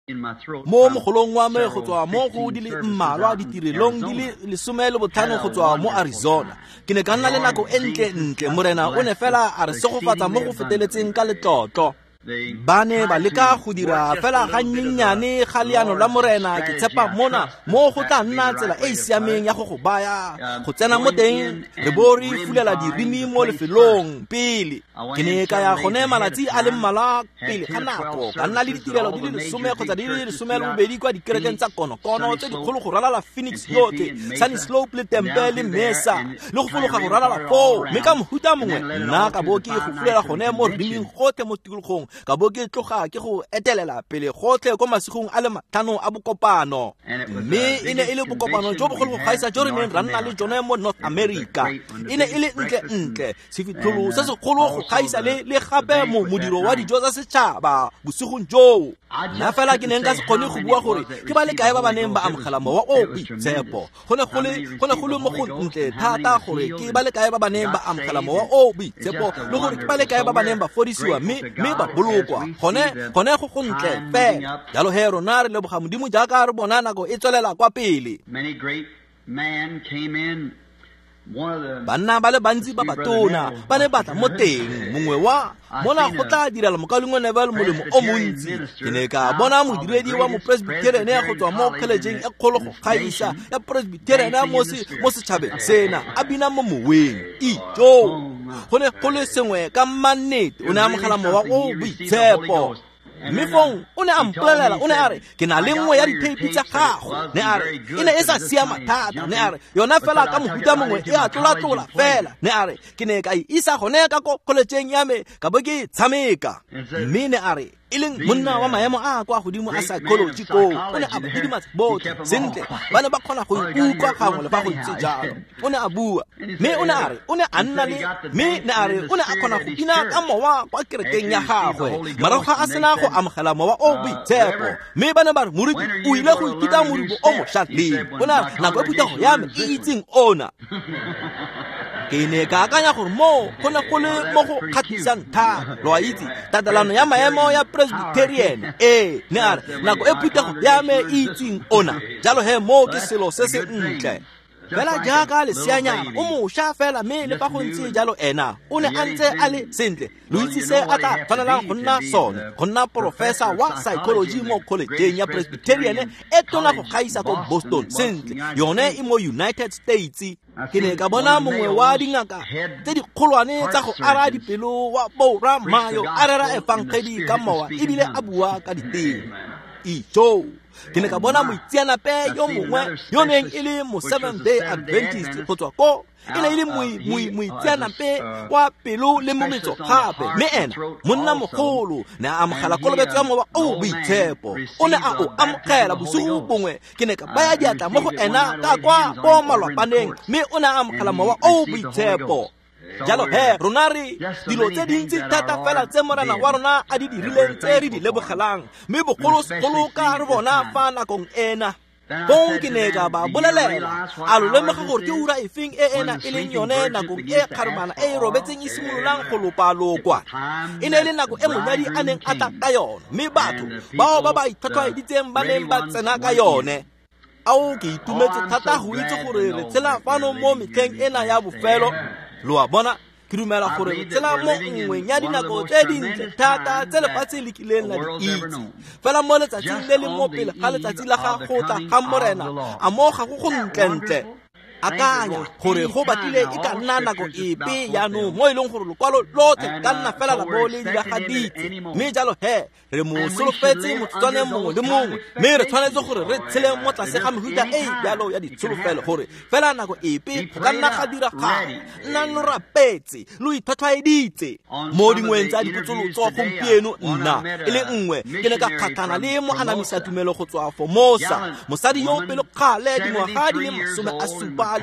Mo mogolong wa me go tswa mo go di le mmalwa ditirelong di le 15 go tswa mo Arizona. Ke ne ka nna le nako e ntle-ntle, Morena o ne fela a re segofatsa mo go feteletseng ka letlotlo. Ba ne ba leka go dira fela gannyenyane ga leano la Morena, ke tshepa mona mo go tla nna tsela e e siameng ya go go baya go tsena mo teng re bo re fulela dirimi mo lefelong pele. Ke ne ka ya gone malatsi a le mmalwa pele ga nako, ka nna le ditirelo di le 10 kgotsa di le 12 kwa dikerekeng tsa konokono tse dikgolo go ralala Phoenix yotlhe, Sunny Slope le Tempe le Mesa, le go fologa go ralala foo. Mme ka mohuta mongwe nna ka bo ke go fulela gone mo riming gotlhe mo tikologong, ka bo ke tloga ke go etelela pele gotlhe ko masigong a le 5 a bokopano. Mme e ne e le bokopano jo bogolo go gaisa jo re neng ra nna le jone mo North America. E ne e le ntle-ntle, sefitlholo se segolo go gaisa le gape modiro wa dijo tsa setšhaba bosigong joo. Nna fela ke ne nka se kgone go bua gore ke ba le kae ba ba neng ba amogela mowa o boitshepo. Go ne go le mo go ntle thata gore ke ba le kae ba ba neng ba amogela mowa o boitshepo, le gore ke ba le kae ba ba neng ba fodisiwa mme ba bolokwa. Gone go go ntle fela. Jalo he rona re leboga Modimo jaaka re bona nako e tswelela kwa pele. Banna ba le bantsi ba batona ba ne batla mo teng, mongwe wa mona go tla direla mokaulengwe Neville molemo o montsi. Ke ne ka bona modiredi wa mopresbyterian go tswa mo kholejeng e kgolo go gaisa ya presbyterian mo setšhabeng sena, a bina mo moweng. Ijo, go ne go le sengwe ka mannete, o ne a amogela mowa o boitshepo. Mme fong o ne a mpolelela, o ne a re, ke na le nngwe ya ditheipi tsa gago. Ne a re, e ne e sa siama thata. Ne a re, yona fela ka mohuta mongwe e a tlola-tlola fela. Ne a re, ke ne ka e isa gone ka ko kholejeng ya me, ka bo ke e tshameka. Mme ne a re, e leng monna wa maemo a kwa godimo a psychology koo, o ne a ba didimatsa botlhe sentle, ba ne ba kgona go ikutlwa gangwe le fa go ntse jalo. O ne a bua, mme o ne a re, o ne a nna le, mme ne a re, o ne a kgona go bina ka mowa kwa kerekeng ya gagwe morago ga a sena go amogela mowa o boitshepo. Mme ba ne ba re, moruti o ile go ithuta morubo o mošwa leng? O ne a re, nako e phuthego ya me e itseng ona. Ke ne ka akanya gore mo go ne go le mo go kgatlhisang thata, lo a itse, tatelano ya maemo ya presbyterian. Ee, ne a re, nako e phuthego ya me e itseng ona. Jalo he mo ke selo se se ntle. Fela jaaka leseanyana o mošwa fela, mme le fa go ntse jalo ena o ne a ntse a le sentle. Lo itse se a tla tshwanelang go nna sone, go nna porofesa wa psychology mo kholejeng ya presbyterian e tona go gaisa ko Boston. Sentle, yone e mo United States. Ke ne ka bona mongwe wa dingaka tse dikgolwane tsa go ara dipelo wa Bora Mayo a rera efangedi ka mowa ebile a bua ka diteme. Ijo, ke ne ka bona moitseanape yo mongwe yo neng e le mo Seventh Day Adventist go tswa ko, e ne e le moitseanape wa pelo le mometso gape. Mme ena monna mogolo ne a amogela kolobetso ya mowa o boitshepo. O ne a o amogela bosigo bongwe. Ke ne ka baya diatla mo go ena ka kwa ko malwapaneng, mme o ne a amogela mowa o boitshepo. Jalo he rona re dilo tse dintsi thata fela tse Morena wa rona a di dirileng tse re di lebogelang, mme bogolosegolo ka re bona fa nakong ena. Fong ke ne ka ba bolelela, a lo lemoga gore ke ura efeng e ena e leng yone nakong e kgarebana e e robetseng e simololang go lopalokwa. E ne e le nako e monyadi a neng a tla ka yone, mme batho bao ba ba itlhwatlhwaeditseng ba neng ba tsena ka yone. Ao, ke itumetse thata go itse gore re tshela fano mo metlheng ena ya bofelo. Lo a bona, ke dumela gore re tshela mo nngweng ya dinako tse dintle thata tse lefatshe le kileng la di itse. Fela mo letsatsing le le mo pele ga letsatsi la ga go tla ga Morena, a mo ga go go ntle-ntle. Akanya gore go batlile e ka nna nako epe jaanong mo e leng gore lokwalo lotlhe ka nna fela la bo le diragaditse. Mme jalo he re mo solofetse motsotswaneng mongwe le mongwe, mme re tshwanetse gore re tshele mo tlase ga mehuta e jalo ya ditsholofelo gore fela nako epe go ka nna ga diragala. Nnang lo rapetse, lo itlhwatlhwaeditse. Mo dingweng tsa dipotsolotso gompieno nna e le nngwe ke ne ka kgatlhana le moanamisa tumelo go tswa Formosa, mosadi yo pelokgale dingwaga di le 73,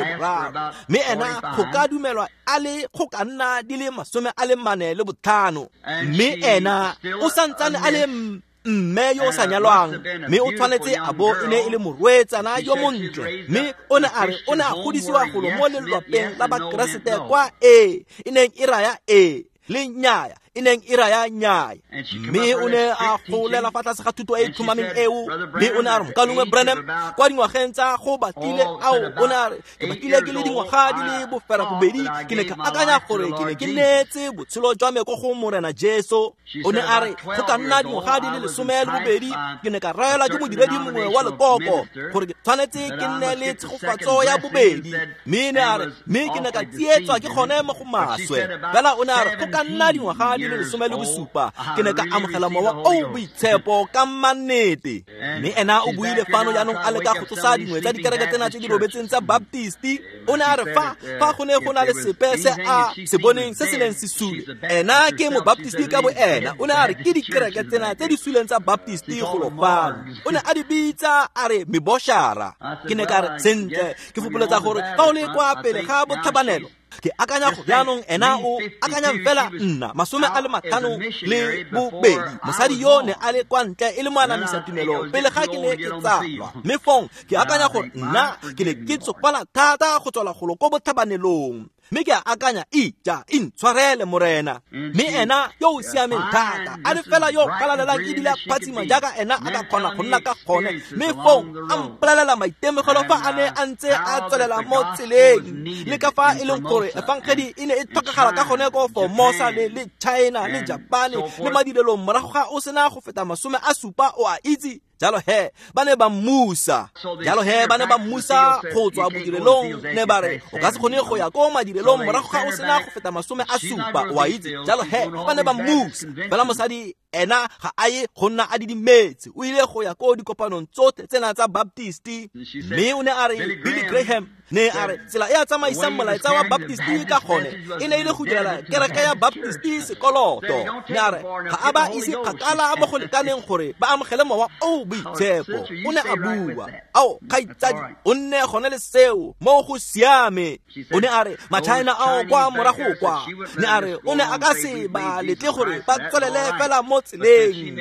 mme ena go ka dumelwa a le go ka nna di le 45. Mme ena o santsane a le mme yo o sa nyalwang, mme o tshwanetse a bo e ne e le morwetsana yo montle. Mme o ne a re o ne a godisiwa golo mo lelwapeng la Bakeresete kwa e e neng e raya e le nnyaya e neng e raya nnyaya. Mme o ne a golela fa tlase ga thuto e e tlhomameng eo. Mme o ne a re, Mokaulengwe Branham, kwa dingwageng tsa go batlile ao, o ne a re, ke batlile ke le dingwaga di le 82, ke ne ka akanya gore ke ne ke neetse botshelo jwa me ko go Morena Jesu. O ne a re, go ka nna dingwaga di le 12, ke ne ka raelwa ke modiredi mongwe wa lekoko gore ke tshwanetse ke nne le tshegofatso ya bobedi. Mme ne a re, mme ke ne ka tsietswa ke gone mo go maswe. Fela o ne a re, go ka nna dingwaga di le 17, ke ne ka amogela mowa o boitshepo ka mannete. Mme ena o buile fano jaanong a leka go tsosa dingwe tsa dikereke tsena tse di robetseng tsa Baptisti. O ne a re fa go ne go na le sepe se a se boneng se se neng se sule, ena ke mobaptisti ka bo ena. O ne a re ke dikereke tsena tse di suleng tsa Baptisti golo fano. O ne a di bitsa a re meboshara. Ke ne ka re, sentle, ke fopoletsa gore fa o le kwa pele ga botlhabanelo, ke akanya go jaanong ena o akanyang fela nna 52, mosadi yo ne a le kwa ntle e le moanamisa tumelo pele ga ke ne ke tsalwa. Mme fong ke akanya gore nna ke ne ke tsofala thata go tswela golo ko botlhabanelong. Mme ke a akanya, ija intshwarele Morena. Mme ena yo o siameng thata, a le fela yo galalelang ebile a phatsima jaaka ena a ka kgona go nna ka gone. Mme fong a mpolelela maitemogelo fa a ne a ntse a tswelela mo tseleng, le ka fa e leng gore efangedi e ne e tlhokagala ka gone ko Formosa le China le Japane le madirelong morago ga o sena go feta 70, o a itse. Jalo he ba ne ba mmusa, jalo he ba ne ba mmusa go tswa bodirelong. Ne ba re, o ka se kgone go ya ko madirelong morago ga o sena go feta 70, o a itse. Jalo he ba ne ba mmusa. Fela mosadi ena ga a ye go nna a didimetse, o ile go ya ko dikopanong tsotlhe tsena tsa Baptisti. Mme o ne a re, Billy Graham ne a re, tsela e a tsamaisang molaetsa wa Baptisti ka gone e ne e le go direla kereke ya Baptisti sekoloto. Ne a re ga a ba ise kgakala mo go lekaneng gore ba amogele mowa o boitshepo. O ne a bua, ao kgaitsadi, o nne gone le seo mo go siame. O ne a re maChina ao kwa morago kwa, ne a re o ne a ka se ba letle gore ba tswelele fela mo tseleng,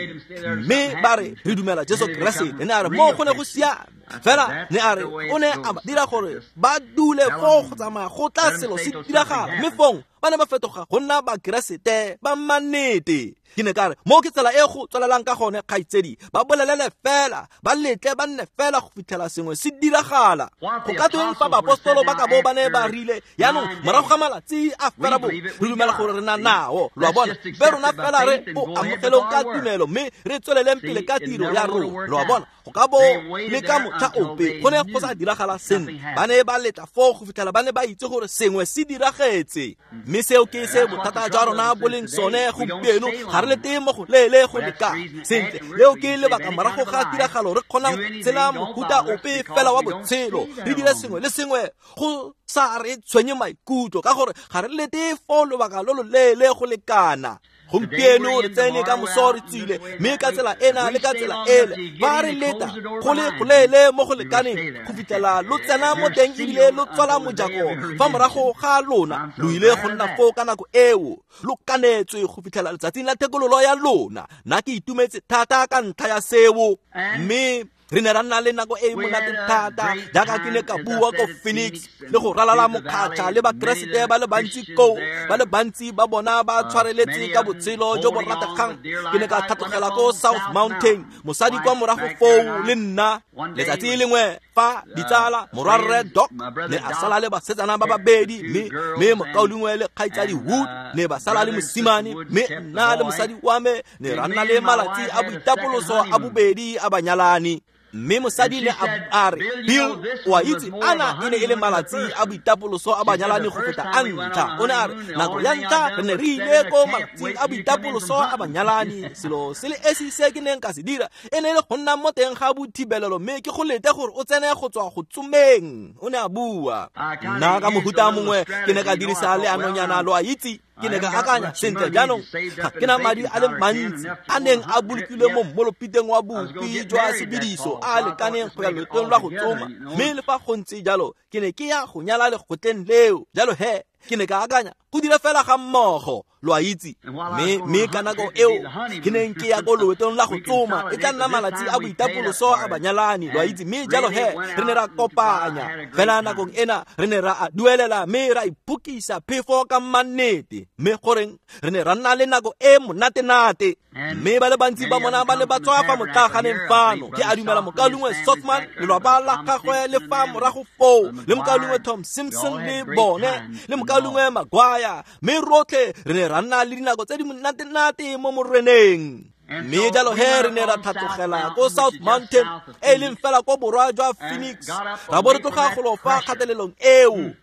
mme ba re re dumela Jesu Keresete. Ne a re mo go ne go siame. Fela ne a re o ne a ba dira gore ba dule foo go tsamaya go tla selo se diragala, mme fong ba ne ba fetoga go nna Bakeresete ba mannete. Ke ne ka re, mo ke tsela e go tswelelang ka gone, kgaitsedi, ba bolelele fela, ba letle ba nne fela go fitlhela sengwe se diragala. Go ka tweng fa baapostolo ba ka bo ba ne ba rile, jaanong morago ga malatsi a fela bo re dumela gore re na nao, lo a bona, be rona fela re o amogeleng ka tumelo mme re tsweleleng pele ka tiro ya rona, lo a bona. Go ka bo le ka motlha ope go ne go sa diragala sentle. Ba ne ba letla foo go fitlhela ba ne ba itse gore sengwe se diragetse. Mme seo ke se bothata jwa rona bo leng sone gompieno, ga re lete mo go leele go lekana. Sentle, leo ke lebaka morago ga tiragalo re kgonang go tshela mohuta ope fela wa botshelo, re dire sengwe le sengwe go sa re tshwenye maikutlo, ka gore ga re lete foo lobaka lo lo leele go lekana. Gompieno re tsene ka moso re tswile, mme ka tsela ena le ka tsela ele, ba re leta go le goleele mo go lekaneng go fitlhela lo tsena mo teng ebile lo tswala mojako fa morago ga lona. Lo ile go nna foo ka nako eo, lo kanetswe go fitlhela letsatsing la thekololo ya lona. Nna ke itumetse thata ka ntlha ya seo. Mme re ne ra nna le nako e monate thata, jaaka ke ne ka bua ko Phoenix le go ralala mokgatlha le Bakeresete ba le bantsi koo, ba le bantsi ba bona ba tshwareletse ka botshelo jo bo rategang. Ke ne ka tlhatlogela ko South Mountain, mosadi kwa morago foo le nna. Letsatsi lengwe fa ditsala, morwarre Doc ne a sala le basetsana ba babedi, mme mokaulengwe le kgaitsadi Wood ne ba sala le mosimane, mme nna le mosadi wa me ne ra nna le malatsi a boitapoloso a bobedi a banyalani. Mme mosadi ne a re, Bill, o a itse, ana e ne e le malatsi a boitapoloso a banyalani go feta a ntlha. O ne a re, nako ya ntlha re ne re ile ko malatsing a boitapoloso a banyalani, selo se le esi se ke neng ka se dira e ne e le go nna mo teng ga bothibelelo, mme ke go lete gore o tsene go tswa go tsomeng. O ne a bua. Nna ka mohuta mongwe ke ne ka dirisa leanonyana, lo a itse. Ke ne ka akanya, sentle jaanong ga ke na madi a le mantsi a neng a bolokilwe mo mmolopiteng wa bopi jwa sebediso a lekaneng go ya loetong lwa go tsoma, mme le fa go ntse jalo ke ne ke ya go nyala lekgotleng leo. Jalo he Ke ne ka akanya go dira fela ga mmogo, lo a itse. Mme ka nako eo ke neng ke ya ko loetong la go tsoma, e tla nna malatsi a boitapoloso a banyalani, lo a itse. Mme jalo he re ne ra kopanya fela nakong ena, re ne ra a duelela mme ra iphokisa phefo ka mannete. Mme goreng re ne ra nna le nako e monatenate. Mme ba le bantsi ba bona ba ne ba tswa fa motlaganeng fano. Ke a dumela mokaulengwe Sothmann, lelwapa la gagwe le fa morago foo, le mokaulengwe Tom Simpson le bone, le mokaulengwe Maguire. Mme rotlhe re ne ra nna le dinako tse di monatenate mo moreneng. Mme jalo he re ne ra tlhatlogela ko South Mountain, e leng fela ko borwa jwa Phoenix, ra bo re tloga golo fa kgatelelong eo.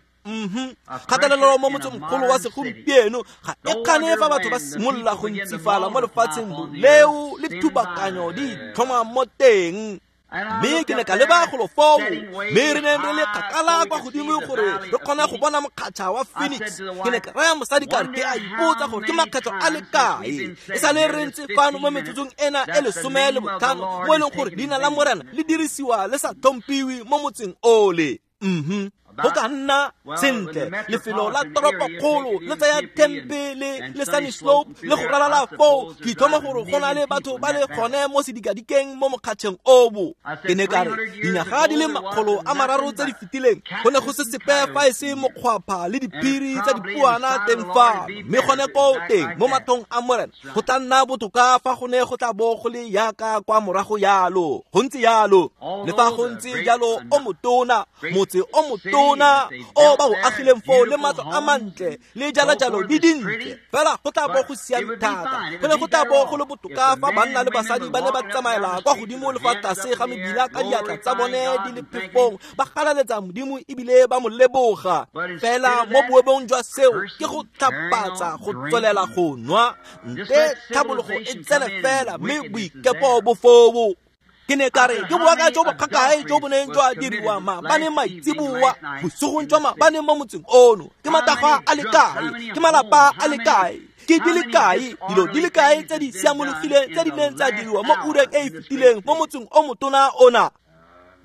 Kgatelelo mo motsemogolo wa segompieno ga e kgane fa batho ba simolola go ntsifala mo lefatsheng leo le thubakanyo di itlhoma mo teng. Mme ke ne ka leba golo foo, mme re ne re le kgakala kwa godimo gore re kgone go bona mokgatšha wa Phoenix. Ke ne ka raya mosadi ka re ke a ipotsa gore ke makgetlho a le kae e sale re ntse fano mo metsotsong ena e 15 mo e leng gore leina la Morena le dirisiwa le sa tlhomphiwe mo motseng ole. Go ka nna sentle lefelo la toropokgolo le tsaya Tempe le Sunny Slope le go ralala foo. Ke itlhoma gore go na le batho ba le gone mo sedikadikeng mo mokgatšheng obo. Ke ne ka re dinyaga di le 300 tse di fetileng go ne go se sepe fa e se mokgwapha le diphiri tsa dipuana teng fano. Mme gone koo teng mo mathong a Morena go tla nna botoka fa go ne go tla bo go le yaka kwa morago yalo. Go ntse yalo, le fa go ntse jalo o motona, motse o motona o ba o agileng foo le matlo a mantle le jalajalo di dintle, fela go tla bo go siame thata. Go ne go tla bo go le botoka fa banna le basadi ba ne ba tsamaela kwa godimo le fa tlase ga mebila ka diatla tsa bone di le phefong, ba galaletsa Modimo ebile ba mo leboga. Fela mo boemong jwa seo ke go tlhapatsa go tswelela go nwa, nte tlhabologo e tsene fela mme boikepo bo foo. Ke ne ka re ke boaka jo bo kgakae jo bo neng jwa diriwa maabane maitseboa, bosigong jwa maabane mo motseng ono. Ke matagwa a le kae, ke malapa a le kae, ke di le kae dilo di le kae tse di siamologileng tse di neng tsa diriwa mo ureng e e fetileng mo motseng o motona ona.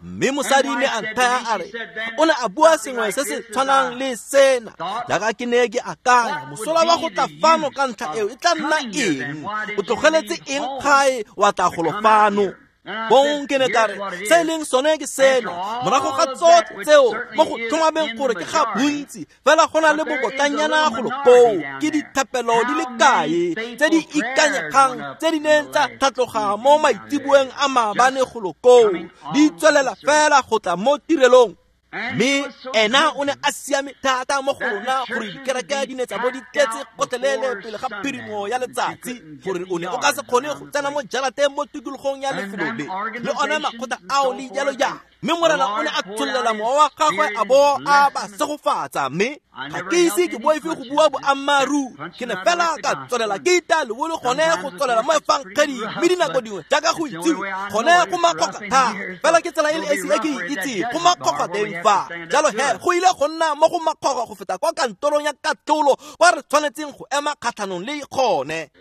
Mme mosadi ne a nthaya a re o ne a bua sengwe se se tshwanang le sena, jaaka ke ne ke akanya mosola wa go tla fano ka ntlha eo e tla nna eng? O tlogeletse eng gae wa tla golo fano? Bong ke ne ka re se e leng sone ke sena, morago ga tsotlhe tseo mo go tlhomameng gore ke ga bontsi, fela go na le bobotlanyana golo koo. Ke dithapelo di le kae tse di ikanyegang tse di neng tsa tlhatloga mo maitseboeng a maabane golo koo, di tswelela fela go tla mo tirelong. Mme ena o ne a siame thata mo go rona gore dikereke di ne tsa bo di tletse gotlhelele pele ga phirimo ya letsatsi, gore o ne o ka se kgone go tsena mo jarateng mo tikologong ya lefelo le le ona makgotla ao le jalo jalo. Mme Morena o ne a tsholela mowa wa gagwe a bo a ba segofatsa. Mme ga ke ise ke boife go bua boammaaruri, ke ne fela ka tswelela ke ita lebolo gone go tswelela mo efangeding. Mme dinako dingwe jaaka go itsiwe gone go makgoka thata, fela ke tsela e le esi e ke e itseng go makgoka teng fa. Jalo he go ile go nna mo go makgoka go feta kwa kantorong ya katlholo kwa re tshwanetseng go ema kgatlhanong le gone.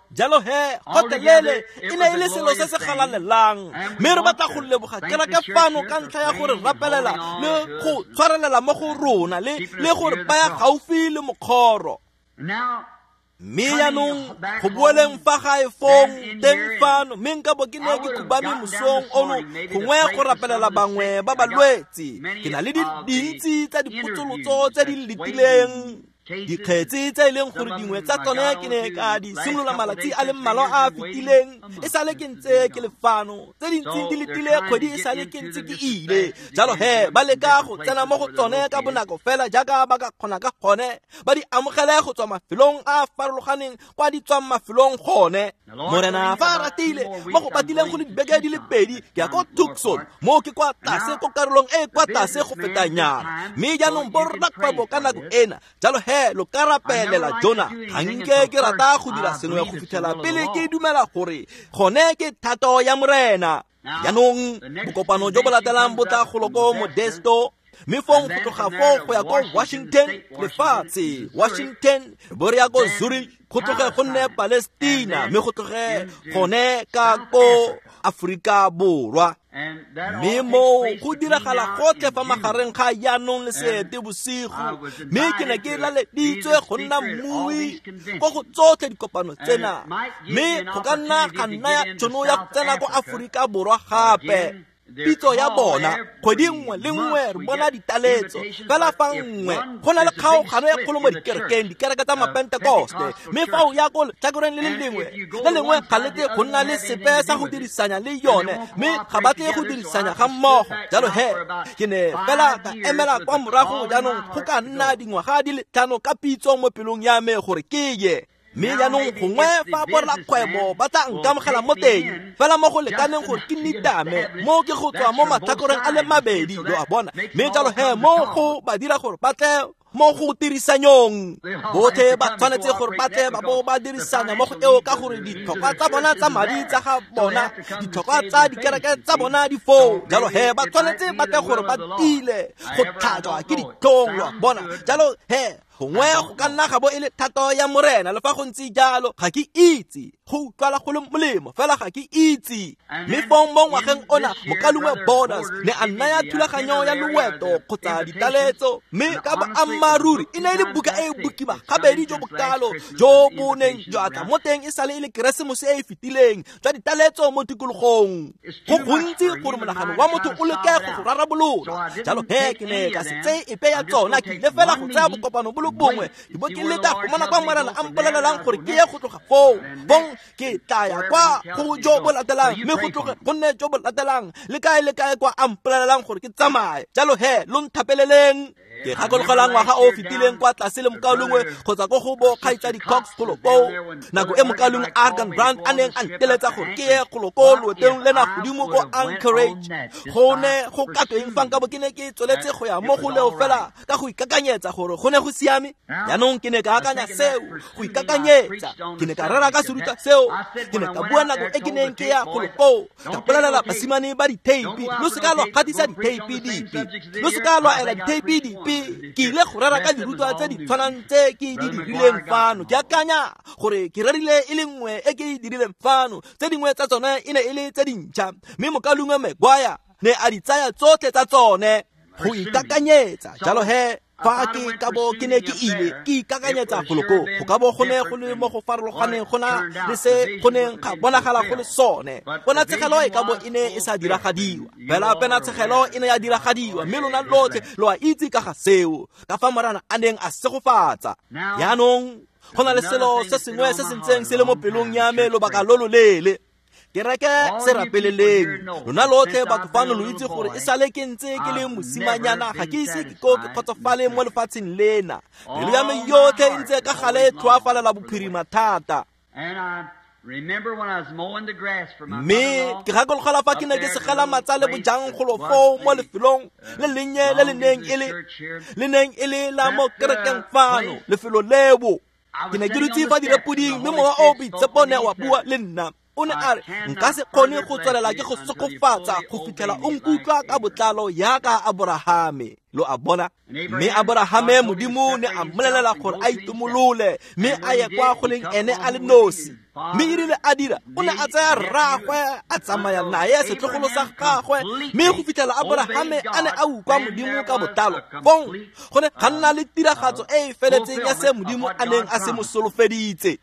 Jalo he gotlhelele e ne e le selo se se galalelang. Mme re batla go leboga kereke fano ka ntlha ya gore rapelela le go tshwarelela mo go rona le gore baya gaufi le mokgoro. Mme jaanong go boeleng fa gae fong teng fano, mme nka bo ke ne ke khubame mosong ono gongwe go rapelela bangwe ba balwetse. Ke na le dintsi tsa dipotsolotso tse di letileng, dikgetse tse e leng gore dingwe tsa tsone ke ne ka di simolola malatsi a le mmalwa a a fetileng e sale ke ntse ke le fano, tse dintsi di letile kgwedi e sale ke ntse ke ile. Jalo he ba leka go tsena mo go tsone ka bonako fela jaaka ba ka kgona ka gone, ba di amogele go tswa mafelong a a farologaneng kwa di tswang mafelong gone. Morena fa a ratile mo go batileng go le dibeke di le pedi ke ya ko Tucson, mo ke kwa tlase ko karolong e kwa tlase go feta nyana. Mme jaanong borrakgwebo ka nako ena, jalo he lo ka rapelela Jona. Ga nke ke rata go dira sengwe go fitlhela pele ke dumela gore gone ke thato ya Morena. Jaanong bokopano jo bo latelang bo tla golo ko Modesto, mme fong go tloga foo go ya ko Washington, lefatshe Washington, bo re ya ko Zurich, go tloge go nne Palestina, mme go tloge gone ka ko Aforika Borwa. Mme moo go diragala gotlhe fa magareng ga jaanong le Seetebosigo, mme ke ne ke laleditswe go nna mmui ko go tsotlhe dikopano tsena, mme go ka nna ga nnaya tšhono ya go tsena ko Aforika Borwa gape. Pitso ya bona kgwedi nngwe le nngwe re bona ditaletso, fela fa nngwe go na le kgaogano e kgolo mo dikerekeng, dikereke tsa Mapentekoste, mme fa o ya ko letlhakoreng le le lengwe le lengwe ga le tle go nna le sepe sa go dirisanya le yone, mme ga ba tle go dirisanya ga mmogo. Jalo he ke ne fela ka emela kwa morago jaanong go ka nna dingwaga di le 5 ka pitso mo pelong ya me gore ke ye. Mme jaanong gongwe fa borrakgwebo ba tla nkamogela mo teng, fela mo go lekaneng gore ke nitame mo ke go tswa mo matlhakoreng a le mabedi, lo a bona. Mme jalo he mo go ba dira gore ba tle mo go tirisanyong, botlhe ba tshwanetse gore ba tle ba bo ba dirisana mo go eo, ka gore ditlhokwa tsa bona tsa madi tsa ga bona, ditlhokwa tsa dikereke tsa bona di foo. Jalo he ba tshwanetse ba tle gore ba tile go tlhajwa ke ditlhong, lo a bona. Jalo he gongwe go ka nna ga bo e le thato ya Morena, le fa go ntse jalo ga ke itse, go utlwala go le molemo fela ga ke itse. Mme fong mo ngwageng ona mokalungwe Borders ne a nnaya thulaganyo ya loeto kgotsa ditaletso, mme ka boammaaruri e ne e le buka e e bokima gabedi jo bokalo jo bo neng jwa tla mo teng e sale e le Keresemose e e fetileng jwa ditaletso mo tikologong. Go gontsi gore monagano wa motho o leke go go rarabolola. Jalo he ke ne ka se tseye epe ya tsona, ke ile fela go tsaya bokopano bo le bongwe ke bo ke leta go bona kwa Morena a mpolelelang gore ke ye go tloga foo, bong ke tla ya kwa go jo bo latelang, mme go tloge go nne jo bo latelang, le kae le kae kwa a mpolelelang gore ke tsamaye. Jalo he lo nthapeleleng. Ke gakologelwa ngwaga o fetileng kwa tlase le mokaulengwe kgotsa ko go bo kgaitsadi Cox golo koo, nako e mokaulengwe Argan Brand a neng a nteletsa gore ke ye golo ko loetong lena godimo ko Anchorage. Go ne go ka tweng fa nkabo ke ne ke tsweletse go ya mo go leo fela ka go ikakanyetsa gore go ne go siame? Jaanong ke ne ka akanya seo, go ikakanyetsa. Ke ne ka rera ka serutwa seo, ke ne ka bua nako e ke neng ke ya golo koo, ka bolelela basimane ba ditheipi, lo seka lwa gatisa ditheipi dipe, lo seka lwa ela ditheipi dipe. Ke ile go rera ka dirutwa tse di tshwanang tse ke di dirileng fano. Ke akanya gore ke rerile e le nngwe e ke e dirileng fano, tse dingwe tsa tsone e ne e le tse dintšha, mme mokalungwe Maguire ne a di tsaya tsotlhe tsa tsone go ikakanyetsa. Jalo he fa ke ka bo ke ne ke ile ke ikakanyetsa golo koo, go ka bo go ne go le mo go farologaneng go na le se go neng ga bonagala go le sone. Ponatshegelo e ka bo e ne e sa diragadiwa, fela ponatshegelo e ne ya diragadiwa, mme lona lotlhe lo a itse ka ga seo, ka fa Morena a neng a segofatsa. Jaanong go na le selo se sengwe se se ntseng se le mo pelong ya me lobaka lo loleele. Kereke se rapeleleng. Lona lotlhe batho fano lo itse gore e sale ke ntse ke le mosimanyana, ga ke ise ke ko ke kgotsofale mo lefatsheng lena. Pelo ya me yotlhe e ntse ka gale e tlhoafalela bophirima thata. Mme ke gakologelwa fa ke ne ke segela matsale bojang golo foo mo lefelong le lennye le le neng e le la mo kerekeng fano, lefelo leo. Ke ne ke dutse fa direpoding, mme Mowa o o Boitshepo ne wa bua le nna. O ne a re, nka se kgone go tswelela ke go sokofatsa go fitlhela o nkutlwa ka botlalo yaka Aborahame. Lo a bona? Mme Aborahame Modimo ne a mmolelela gore a itomolole mme a ye kwa go leng ene a le nosi. Mme e rile a dira, o ne a tsaya rraagwe a tsamaya naye setlogolo sa gagwe, mme go fitlhela Aborahame a ne a utlwa Modimo ka botlalo. Fong go ne ga nna le tiragatso e e feletseng ya se Modimo a neng a se mo solofeditse.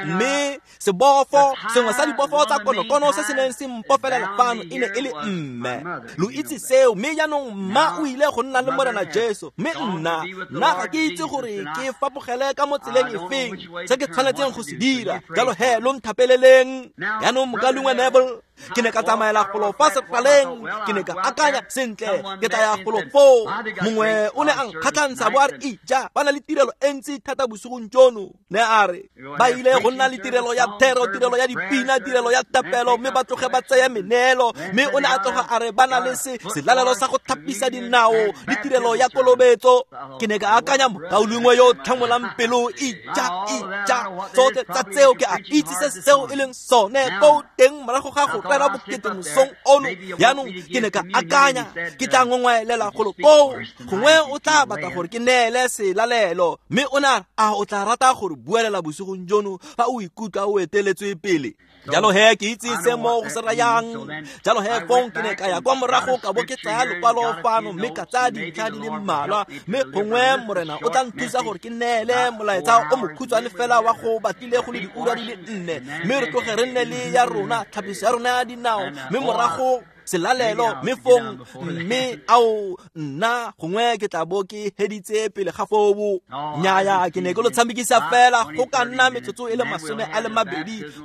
Mme sebofo sengwe sa dibofo tsa konokono se se neng se mpofelela fano e ne e le mme. Lo itse seo, mme jaanong mma o ile go nna le Morena Jesu, mme nna ga ke itse gore ke fapogele ka mo tseleng efeng se ke tshwanetseng go se dira. Jalo he lo nthapeleleng. Jaanong mokalungwe Neville, ke ne ka tsamaela golo fa sefaleng, ke ne ka akanya sentle ke tla ya golo foo. Mongwe o ne a nkgatlhantsha bo a re, ija ba na le tirelo e ntsi thata bosigong jono. Ne a re ba ile go nna le tirelo ya thero, tirelo ya dipina, tirelo ya tapelo, mme ba tloge ba tsaya meneelo. Mme o ne a tloga a re ba na le selalelo sa go thapisa dinao le tirelo ya kolobetso. Ke ne ka akanya mokaulengwe yo o tlhamolang pelo, ija ija tsotlhe tsa tseo ke a itse se seo e leng sone ko teng morago ga go rera bokete mosong ono. Jaanong ke ne ka akanya ke tla ngongwaelela golo koo, gongwe o tla batla gore ke neele selalelo. Mme o ne a re, a o tla rata gore buelela bosigong jono fa o ikutlwa o eteletswe pele? Jalo he ke itse se mo go se rayang. Jalo he fong ke ne ka ya kwa morago ka bo ke tsaya lokwalo fano mme ka tsaya dintlha di le mmalwa, mme gongwe Morena o tla nthusa gore ke neele molaetsa o mokhutshwane fela wa go batlile go le diura di le 4, mme re tloge re nne le ya rona tlhapiso ya rona ya dinao, mme morago selalelo, mme fong mme ao nna gongwe ke tla bo ke heditse pele ga foo. Nnyaya, ke ne ke lo tshamekisa fela go ka nna metsotso e le 20,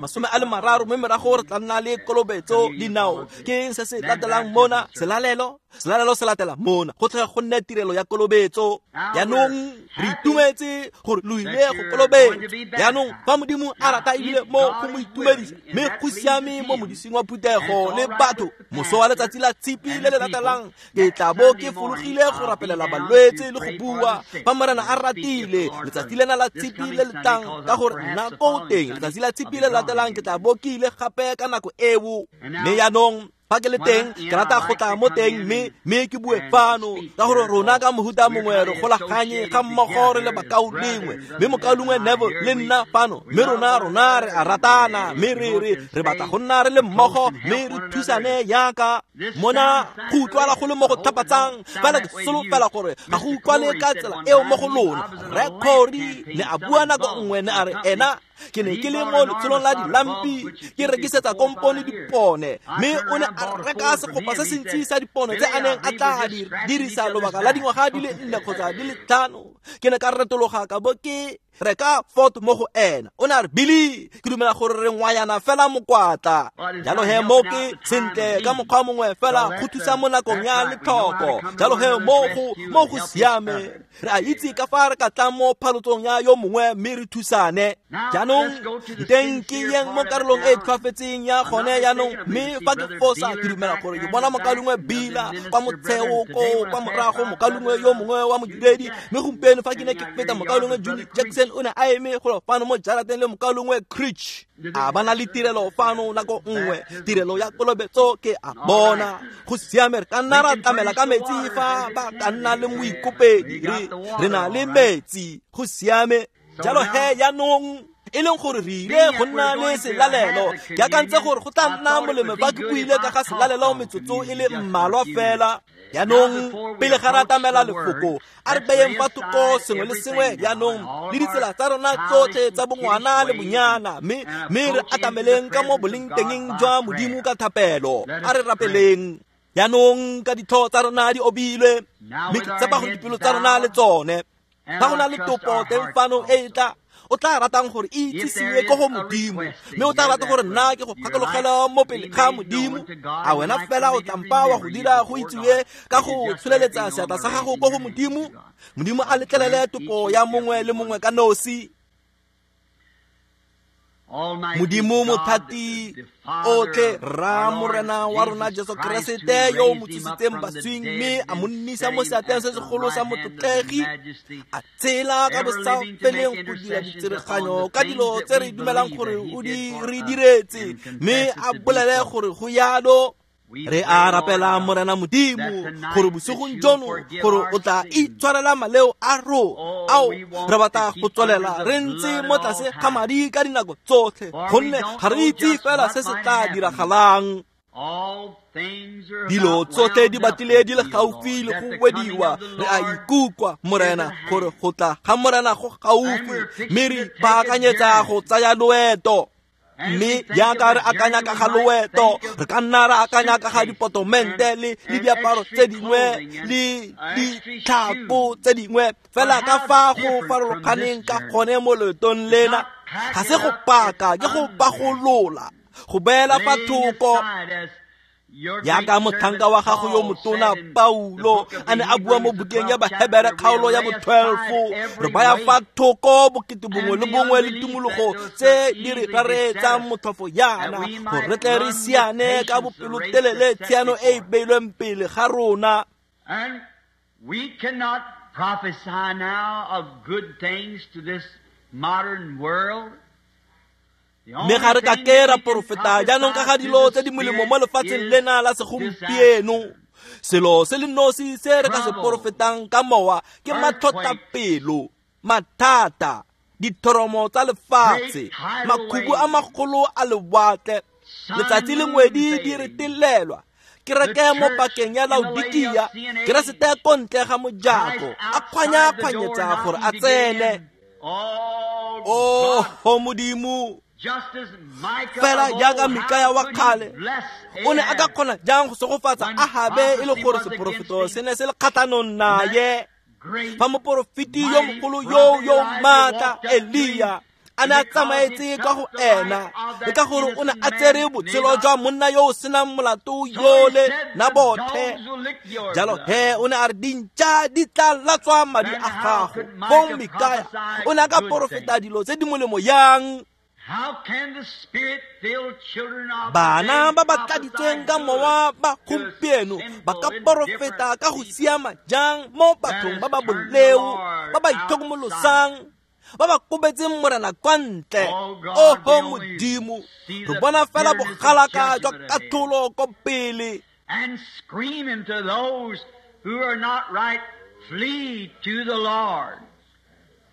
30, mme morago re tla nna le kolobetso dinao. Ke eng se se latelang mona? Selalelo. Selalelo se latela mona, go tlhoka go nne tirelo ya kolobetso. Jaanong re itumetse gore lo ile go kolobetsa. Jaanong fa Modimo a rata ebile mo go mo itumedisa, mme go siame mo modising wa phuthego le batho, moso wa letsatsi la tshipi le le latelang ke tla bo ke fologile go rapelela balwetse le go bua fa Morena a ratile. Letsatsi lena la tshipi le le tlang, ka gore nna ko teng letsatsi la tshipi le le latelang ke tla bo ke ile gape ka nako eo. Mme jaanong fa ke le teng, ke rata go tla mo teng mme ke bue fano, ka gore rona ka mohuta mongwe re golaganye ga mmogo re le bakaulengwe, mme mokaulengwe Neville le nna fano, mme rona re a ratana, mme re batla go nna re le mmogo, mme re thusane yaka mona. Go utlwala go le mo go thapatsang, fela ke solofela gore ga go utlwale ka tsela eo mo go lona. Rre Corey ne a bua nako nngwe, ne a re ena ke ne ke le mo letsholong la dilampi ke rekisetsa kompone dipone, mme o ne a reka segopa se sentsi sa dipone tse a neng a tla di dirisa lobaka la dingwaga di le 4 kgotsa di le 5. Ke ne ka retologa ka bo ke reka Ford mo go ena. O ne a re, Billy, ke dumela gore re ngwayana fela mokwatla. Jalo he mo ke sentle ka mokgwa mongwe fela go thusa mo nakong ya letlhoko. Jalo he mo go siame, re a itse ka fa re ka tlang mo phalotsong ya yo mongwe mme re thusane. Jaanong nteng ke yeng mo karolong e e tlhwafetseng ya gone jaanong, mme fa ke fosa ke dumela gore ke bona mokaulengwe Bila kwa motsheo ko kwa morago, mokaulengwe yo mongwe wa modiredi. Mme gompieno fa ke ne ke feta, mokaulengwe Junior Jackson o ne a eme golo fano mo jarateng le mokaulengwe Creech. A ba na le tirelo fano nako nngwe, tirelo ya kolobetso ke a bona. Go siame, re ka nna ra tlamela ka metsi fa ba ka nna le moikopedi, re na le metsi. Go siame. Jalo he jaanong e leng gore re ile go nna le selalelo, ke akantse gore go tla nna molemo fa ke buile ka ga selalelo metsotso e le mmalwa fela. Jaanong pele ga re atamela lefoko, a re beyeng fa thoko sengwe le sengwe jaanong le ditsela tsa rona tsotlhe tsa bongwana le bonyana, mme re atameleng ka mo bolengtengeng jwa Modimo ka thapelo. A re rapeleng. Jaanong ka ditlhogo tsa rona di obilwe, mme ke tshepa gore dipelo tsa rona le tsone. Fa go na le topo teng fano e tla o tla ratang gore e itsisiwe ko go Modimo, mme o tla rata gore nna ke go gakologela mo pele ga Modimo, a wena fela o tla mpa wa go dira go itsiwe ka go tsholeletsa seatla sa gago ko go Modimo. Modimo a letlelele topo ya mongwe le mongwe ka nosi. Modimo mothati otlhe, Rra Morena wa rona Jesu Keresete yo o mo tsositseng baswing mme a mo nnisa mo seatleng se segolo sa motlotlegi, a tshela ka bosafeleng go dira ditsereganyo ka dilo tse re dumelang gore o di re diretse, mme a bolele gore go yalo. Re a rapela Morena Modimo gore bosigong jono gore o tla itshwarela maleo a rona ao re batla go tswelela re ntse mo tlase ga madi ka dinako tsotlhe, gonne ga re itse fela se se tla diragalang. Dilo tsotlhe di batlile di le gaufi le go wediwa. Re a ikutlwa Morena gore go tla ga Morena go gaufi, mme re ipaakanyetsa go tsaya loeto. Mme jaaka re akanya ka ga loeto, re ka nna ra akanya ka ga dipotomente le diaparo tse dingwe le ditlhako tse dingwe, fela ka fa go farologaneng ka gone mo loetong lena. Ga se go paka, ke go pagolola, go beela fa thoko. Jaaka motlhanka wa gago yo motona Paulo a ne a bua mo bukeng ya Bahebere kgaolo ya bo-12, re baya fa thoko bokete bongwe le bongwe le tumologo tse di re raretsang motlhofo yana, gore re tle re siane ka bopelotelele tshiano e e beilweng pele ga rona. We cannot prophesy now of good things to this modern world. Mme ga re ka ke ra porofeta jaanong ka ga dilo tse di molemo mo lefatsheng lena la segompieno. Selo se le nosi se re ka se porofetang ka mowa ke matlhotlhapelo, mathata, dithoromo tsa lefatshe, makhubu a magolo a lewatle, letsatsi le ngwedi di retelelwa. Kereke mo pakeng ya Laodikia, Keresete ko ntle ga mojako, a kgwanya-kgwanyetsa gore a tsene. Oho Modimo, fela jaaka Mikaya wa kgale o ne a ka kgona jang go segofatsa Ahabe e le gore seporofeto se ne se le kgatlhanong naye, fa moporofeti yo mogolo yo maatla Elia a ne a tsamaetse kwa go ena, le ka gore o ne a tsere botshelo jwa monna yo o senang molato yole Nabothe. Jalo he o ne a re dintša di tla latswa madi a gago. Fong Mikaya o ne a ka porofeta dilo tse di molemo yang? Bana ba ba tladitsweng ka mowa ba gompieno ba ka porofeta ka go siama jang mo bathong ba ba boleo, ba ba itlhokomolosang, ba ba kobetseng Morena kwa ntle? Oho Modimo, re bona fela bogalaka jwa katlholo ko pele. And screaming to those who are not right, flee to the Lord.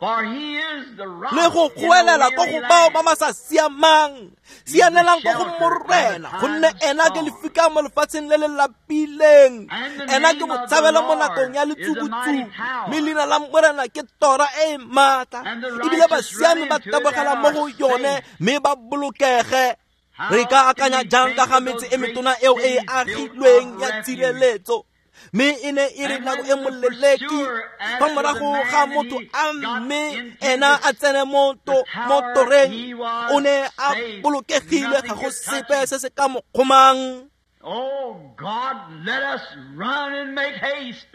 Le go goelela ko go bao ba ba sa siamang, sianelang ko go Morena, gonne ena ke lefika mo lefatsheng le le lapileng, ena ke botshabelo mo nakong ya letsubutsubu, mme leina la Morena ke tora e e maatla, ebile basiami ba tabogela mo go yone mme ba bolokege. Re ka akanya jang ka ga metse e metona eo e e agilweng ya tshireletso, mme e ne e re nako e moleleki fa morago ga motho a mme ena a tsene mo toreng, o ne a bolokegile, ga go sepe se se ka mo kgomang. Oh God, let us run and make haste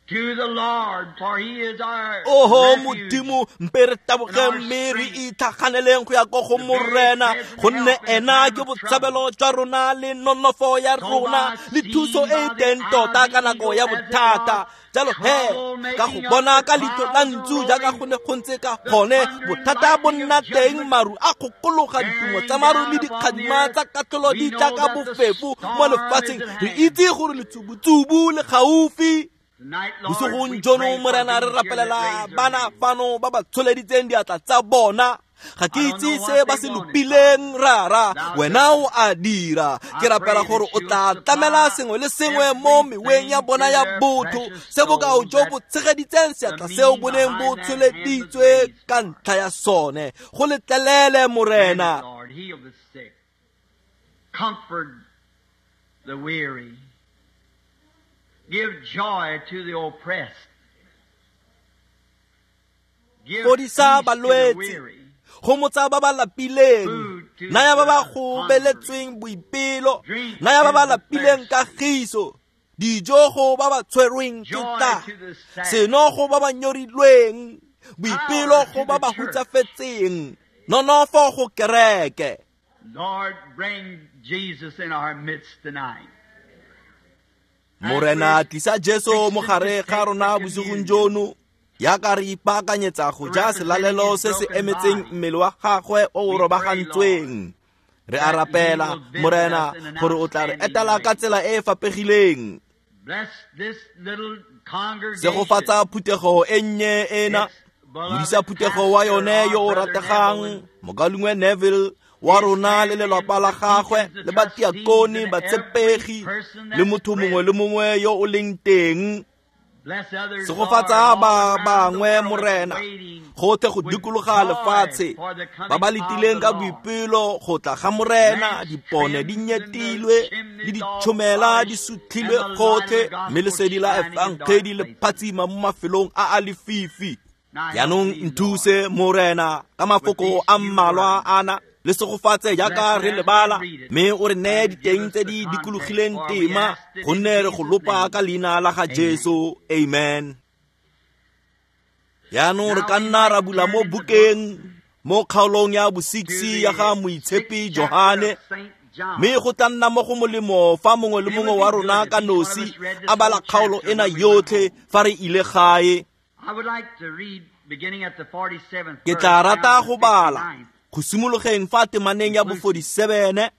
to the Lord, for he is our Oho refuge. Modimo, mpe re taboge mme re itlhaganeleng go ya ko go Morena, gonne ena ke botshabelo jwa rona le nonofo ya rona le thuso e e teng tota ka nako ya bothata. Jalo he, ka go bona ka leitlho la ntsu jaaka go ne go ntse ka gone, bothata bo nna teng, maru a kgokologa, ditumo tsa maru le dikgadima tsa katlholo di tla ka bofefo mo lefatsheng. Re itse gore letsubutsubu le gaufi. Bosigong jono Morena re rapelela bana fano ba ba tsholeditseng diatla tsa bona. Ga ke itse se ba se lopileng, Rara, wena o a dira. Ke rapela gore o tla tlamela sengwe le sengwe mo meweng ya bona ya botho, se bokao jo bo tshegeditseng seatla seo bo neng bo tsholeditswe ka ntlha ya sone. Go letlelele, Morena. Lord, heal the sick, comfort the weary, give joy to the oppressed, give Fodisa peace to the balwetse, weary, gomotsa ba ba lapileng, naya ba ba gobeletsweng boipelo, naya ba ba lapileng kagiso, dijo go ba ba tshwerweng ke tlala, seno go ba ba nyorilweng, boipelo go ba ba hutsafetseng, nonofo go kereke. Lord, bring Jesus in our midst tonight. Morena, tlisa Jesu mo gare ga rona bosigong jono, jaaka re ipaakanyetsa go ja selalelo se se emetseng mmele wa gagwe o o robagantsweng. Re a rapela, Morena, gore o tla re etela ka tsela e e fapegileng. Bless this little congregation. Segofatsa phuthego e nnye ena, modisa phuthego wa yone yo o rategang, mokaulengwe Neville wa rona le lelapa la gagwe, le batiakone, batshepegi, le motho mongwe le mongwe yo o leng teng. Bless others, Segofatsa Lord, ba all around the bangwe, world Morena, waiting gotlhe go with dikologa joy lefatshe, for the coming ba ba of letileng the ka Lord. boipelo go tla ga Morena. Dipone di nyetilwe le ditšhomela di sutlhilwe gotlhe, mme lesedi la efangedi le phatsima mo mafelong a a lefifi. Jaanong nthuse, Morena, ka mafoko a mmalwa ana, le segofatse jaaka re lebala, mme o re neye diteng tse di dikologileng tema, gonne re go lopa ka leina la ga Jesu. Amen. Jaanong re ka nna ra bula mo bukeng mo kgaolong ya bo-6 ya ga Moitshepi Johane, mme go tla nna mo go molemo fa mongwe le mongwe wa rona ka nosi a bala kgaolo ena yotlhe fa re ile gae. I would like to read beginning at the 47th Ke tla verse rata down to go bala 59th. Go simologeng fa temaneng ya bo 47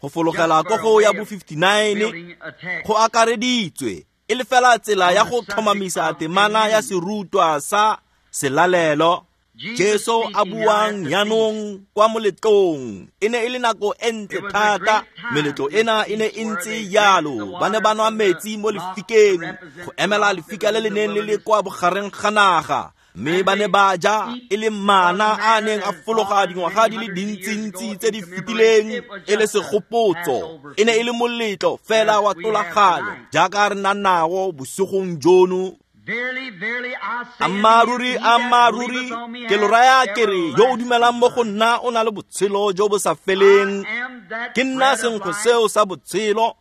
go fologela ko go ya bo 59 go akareditswe e le fela tsela ya go tlhomamisa temana ya serutwa sa selalelo. Jesu a buang jaanong kwa moletlong. E ne e le nako e ntle thata. Meletlo ena e ne e ntse jalo. Ba ne ba nwa metsi mo lefikeng go emela lefika le le neng le le kwa bogareng ga naga. Mme ba ne ba ja e le mana a neng a fologa dingwaga di le dintsintsi tse di fetileng e le segopotso. E ne e le moletlo fela wa tlolaganyo jaaka re na nao bosigong jono. Ammaaruri, ammaaruri, ke lo raya ke re yo o dumelang mo go nna o na le botshelo jo bo sa feleng. Ke nna senkgwe seo sa botshelo.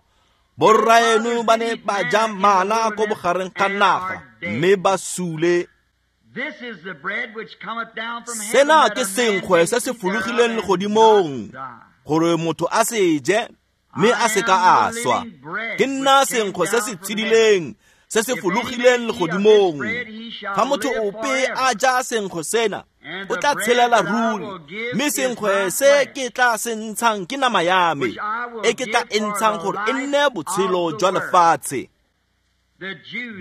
Borraeno ba ne ba ja mana ko bogareng ga naga mme ba sule. Sena ke senkgwe se se fologileng legodimong gore motho a se je mme a se ka a swa. Ke nna senkgwe se se tshedileng se se fologileng legodimong. Fa motho ope a ja senkgwe sena, o tla tshelela ruri, mme senkgwe se ke tla se ntshang ke nama ya me, e ke tla e ntshang gore e nne botshelo jwa lefatshe.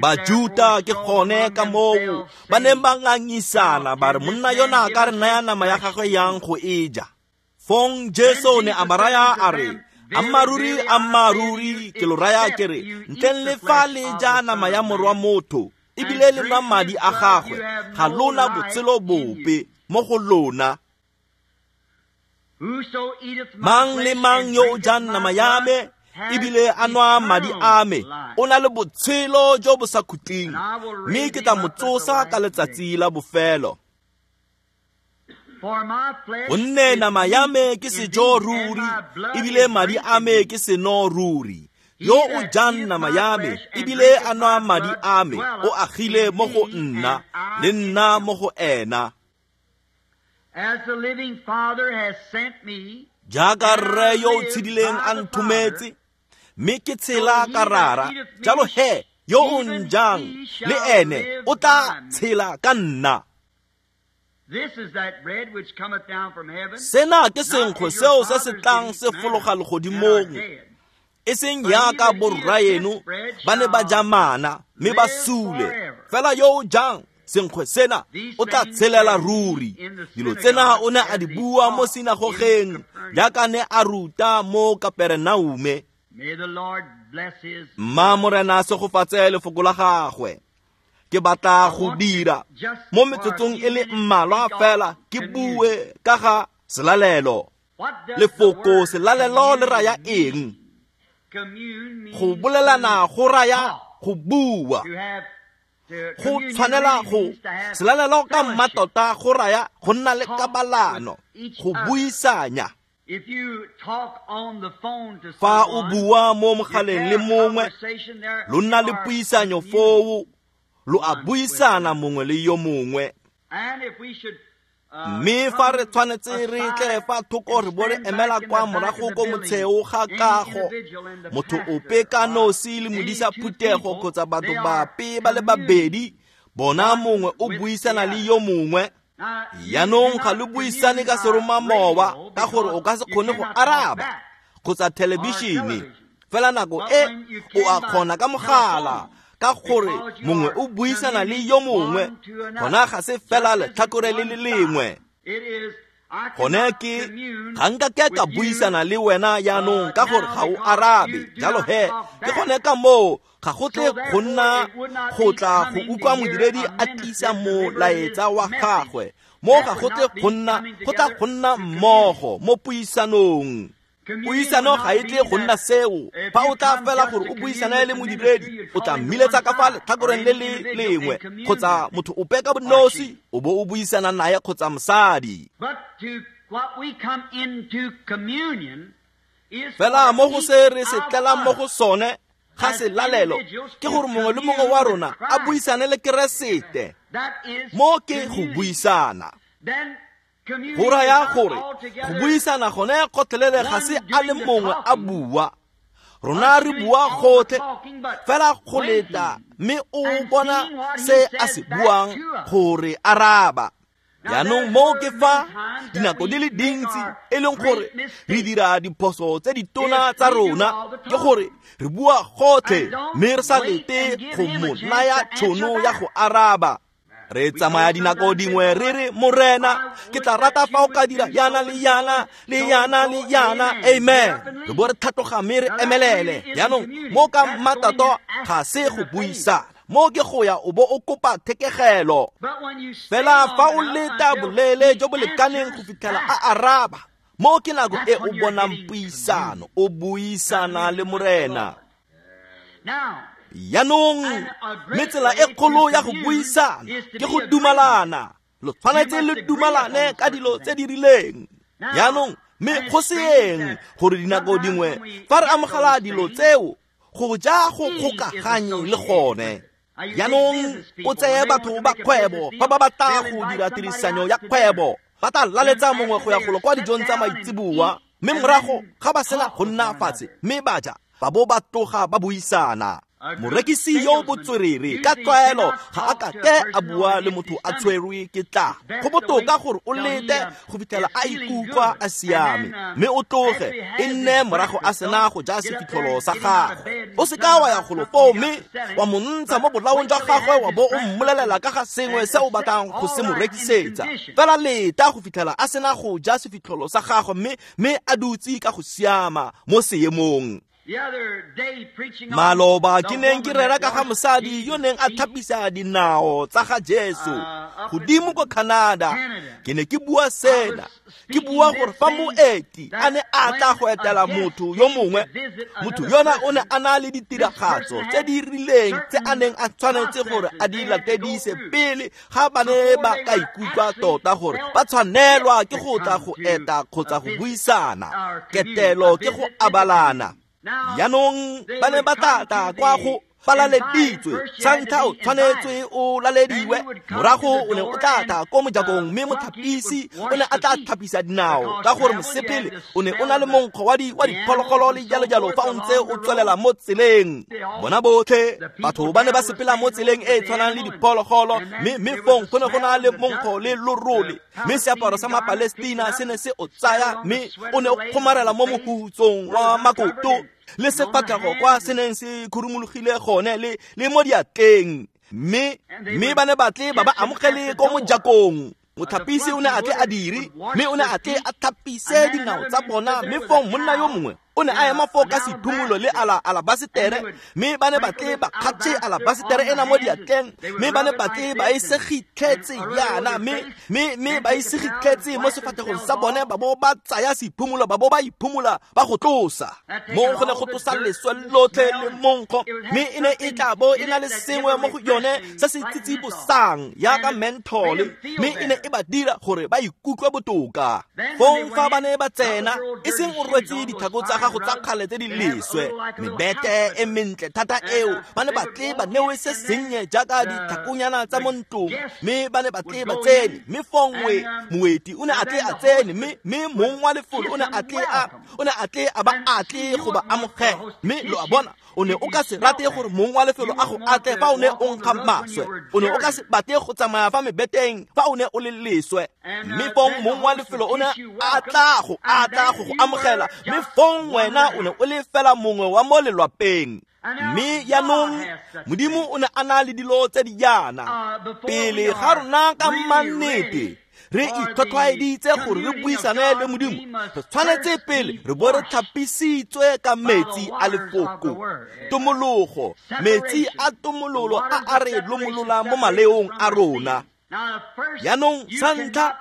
Bajuta ke gone ka moo ba neng ba ngangisana ba re monna yona a ka re naya nama ya gagwe yang go e ja. Fong Jesu ne a ba raya a re, ammaaruri, ammaaruri, ke lo raya ke re ntleng le fa le ja nama ya morwa motho ebile le nwa madi a gagwe, ga lona botshelo bope mo go lona. Mang le mang yo o jang nama ya me ebile a nwa madi a me o na le botshelo jo bo sa khutleng, mme ke tla mo tsosa ka letsatsi la bofelo. Gonne nama ya me ke sejo ruri, ebile madi a me ke seno ruri. Yo o jang nama ya me ebile a nwa madi a me o agile mo go nna, le nna mo go ena. Jaaka rre yo o tshedileng a nthometse, mme ke tshela ka rara, jalo he yo o njang le ene o tla tshela ka nna. Sena ke senkgwe seo se se tlang se fologa legodimong, e seng jaaka borraeno ba ne ba ja mana mme ba sule. Fela yo o jang senkgwe sena o tla tshelela ruri. Dilo tsena o ne a di bua mo sinagogeng jaaka ne a ruta mo Kaperenaume. Mma Morena a segofatse lefoko la gagwe. Ke batla go dira mo metsotsong e le mmalwa fela ke bue ka ga selalelo. Lefoko selalelo le raya eng? Go bolelana go raya go bua. Go tshwanela go selalelo ka mmatota go raya go nna le kabalano, go buisanya. Fa o bua mo mogaleng le mongwe, lo nna le puisanyo foo, lo a buisana mongwe le yo mongwe. Mme fa re tshwanetse re tle fa thoko re bo re emela kwa morago ko motsheo ga kago, motho ope ka nosi le modisa phuthego kgotsa batho bape ba le babedi, bona mongwe o buisana le yo mongwe. Jaanong ga lo buisane ka seromamowa ka gore o ka se kgone go araba kgotsa thelebišene. Fela nako e o a kgona ka mogala ka gore mongwe o buisana le yo mongwe, gona ga se fela letlhakore le le lengwe. Gone ke ga nka ke ka buisana le wena jaanong ka gore ga o arabe. Jalo he ke gone ka moo ga go tle go nna go tla go utlwa modiredi a tlisa molaetsa wa gagwe. Mo ga go tle go nna go tla go nna mmogo mo puisanong. Puisano ga e tle go nna seo. Fa o tla fela gore o buisane le modiredi, o tla mmiletsa ka fa letlhakoreng le le lengwe kgotsa motho ope ka bonosi o bo o buisana naye kgotsa mosadi. Fela mo go se re se tlelang mo go sone ga selalelo ke gore mongwe le mongwe wa rona a buisane le Keresete. Mo ke go buisana. Go raya gore go buisana gone gotlhelele ga se a le mongwe a bua. Rona re bua gotlhe fela go leta mme o bona se a se buang gore araba. Jaanong moo ke fa dinako di le dintsi e leng gore re dira diphoso tse ditona tsa rona, ke gore re bua gotlhe mme re sa lete go mo naya tšhono ya go araba. Re tsamaya dinako dingwe re re, Morena, ke tla rata fa o ka dira yana le yana le yana le yana, amen. Re bo re tlhatloga mme re emelele. Jaanong mo ka mmatato ga se go buisana, mo ke go ya o bo o kopa thekegelo. Fela fa o leta boleele jo bo lekaneng go fitlhela a araba, mo ke nako e o bonang puisano, o buisana le Morena. Jaanong mme tsela e kgolo ya go buisana ke go dumalana. Lo tshwanetse le dumalane ka dilo tse di rileng. Jaanong mme go seeng gore dinako dingwe fa re amogela dilo tseo, go ja go kgokaganye le gone. Jaanong o tseye batho ba kgwebo fa ba batla go dira tirisanyo ya kgwebo, ba tla laletsa mongwe go ya golo kwa dijong tsa maitseboa, mme morago ga ba sena go nna fatshe mme ba ja, ba bo ba tloga ba buisana. Morekisi yo botswerere ka tlwaelo ga a ka ke a bua le motho a tshwerwe ke tlala. Go botoka gore o lete go fitlhela a ikutlwa a siame, mme o tloge e nne morago a sena go ja sefitlholo sa gagwe. O seka wa ya golo foo mme wa mo ntsha mo bolaong jwa gagwe wa bo o mmolelela ka ga sengwe se o batlang go se mo rekisetsa. Fela leta go fitlhela a sena go ja sefitlholo sa gagwe mme a dutse ka go siama mo seemong. Maloba ke neng ke rera ka ga mosadi yo neng a thapisa dinao tsa ga Jesu godimo ko Canada. Ke ne ke bua sena, ke bua gore fa moeti a ne a tla go etela motho yo mongwe, motho yona o ne a na le ditiragatso tse di rileng tse a neng a tshwanetse gore a di latedise pele ga ba ne ba ka ikutlwa tota gore ba tshwanelwa ke go tla go eta kgotsa go buisana. Ketelo ke go abalana. Jaanong ba ne ba tla kwa go ba laleditswe. Sa ntlha o tshwanetswe o lalediwe, morago o ne o tla tla ko mojakong mme mothapisi o ne a tla thapisa dinao, ka gore mosepele o ne o na le monkgo wa diphologolo le jalo jalo fa o ntse o tswelela mo tseleng. Bona botlhe batho ba ne ba sepela mo tseleng e e tshwanang le diphologolo, mme fong go ne go na le monkgo le lorole, mme seaparo sa Mapalestina se ne se o tsaya, mme o ne o kgomarela mo mohutsong wa makoto le sefatlhego kwa se neng se khurumologile gone le mo diatleng. Mme ba ne ba tle ba ba amogele ko mojakong. Mothapisi o ne a tle a dire, mme o ne a tle a thapise dinao tsa bona, mme fong monna yo mongwe o ne a ema foo ka sephumulo le alabasetere, mme ba ne ba tle ba kgatšhe alabasetere ena mo diatleng, mme ba ne ba tle ba e segitlhetse yana, mme ba e segitlhetse mo sefatlhegong sa bone, ba bo ba tsaya sephumulo, ba bo ba iphumola ba go tlosa. Mo go ne go tlosa leswe lotlhe le monkgo, mme e ne e tla bo e na le sengwe mo go yone se se tsitsibosang yaka menthole, mme e ne e ba dira gore ba ikutlwe botoka. Fong fa ba ne ba tsena, e seng o rwetse ditlhako tsa gago tsa kgale tse di leswe, mebete e mentle thata eo, ba ne ba tle ba newe se sennye jaaka ditlhakonyana tsa mo ntlong, mme ba ne ba tle ba tsene, mme fongwe moeti o ne a tle a tsene, mme mong wa lefelo o ne a tle a ba atle go ba amogela. Mme lo a bona, o ne o ka se rate gore mong wa lefelo a go atle fa o ne o nkga maswe, o ne o ka se batle go tsamaya fa mebeteng fa o ne o le leswe, mme fong mong wa lefelo o ne a tla go go amogela, mme fong wena o ne o le fela mongwe wa mo lelwapeng. Mme jaanong Modimo o ne a na le dilo tse di jaana pele ga rona ka mannete re itlhotlhwaeditse gore re buisane le Modimo. Re tshwanetse pele re bo re tlhapisitswe ka metsi a lefoko, tomologo, metsi a tomololo a a re lomolola mo maleong a rona. Jaanong sa ntlha,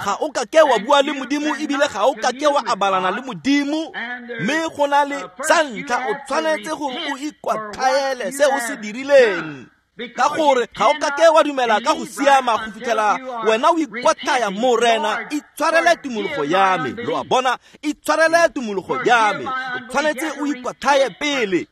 ga o ka ke wa bua le Modimo ebile ga o ka ke wa abalana le Modimo, mme go na le sa ntlha o tshwanetse gore o ikwatlhaele se o se dirileng, ka gore ga o ka ke wa dumela ka go siama go fitlhela wena o ikwatlhaya. Morena, itshwarele tumologo ya me. Lo a bona, itshwarele tumologo ya me. O tshwanetse o ikwatlhaye pele,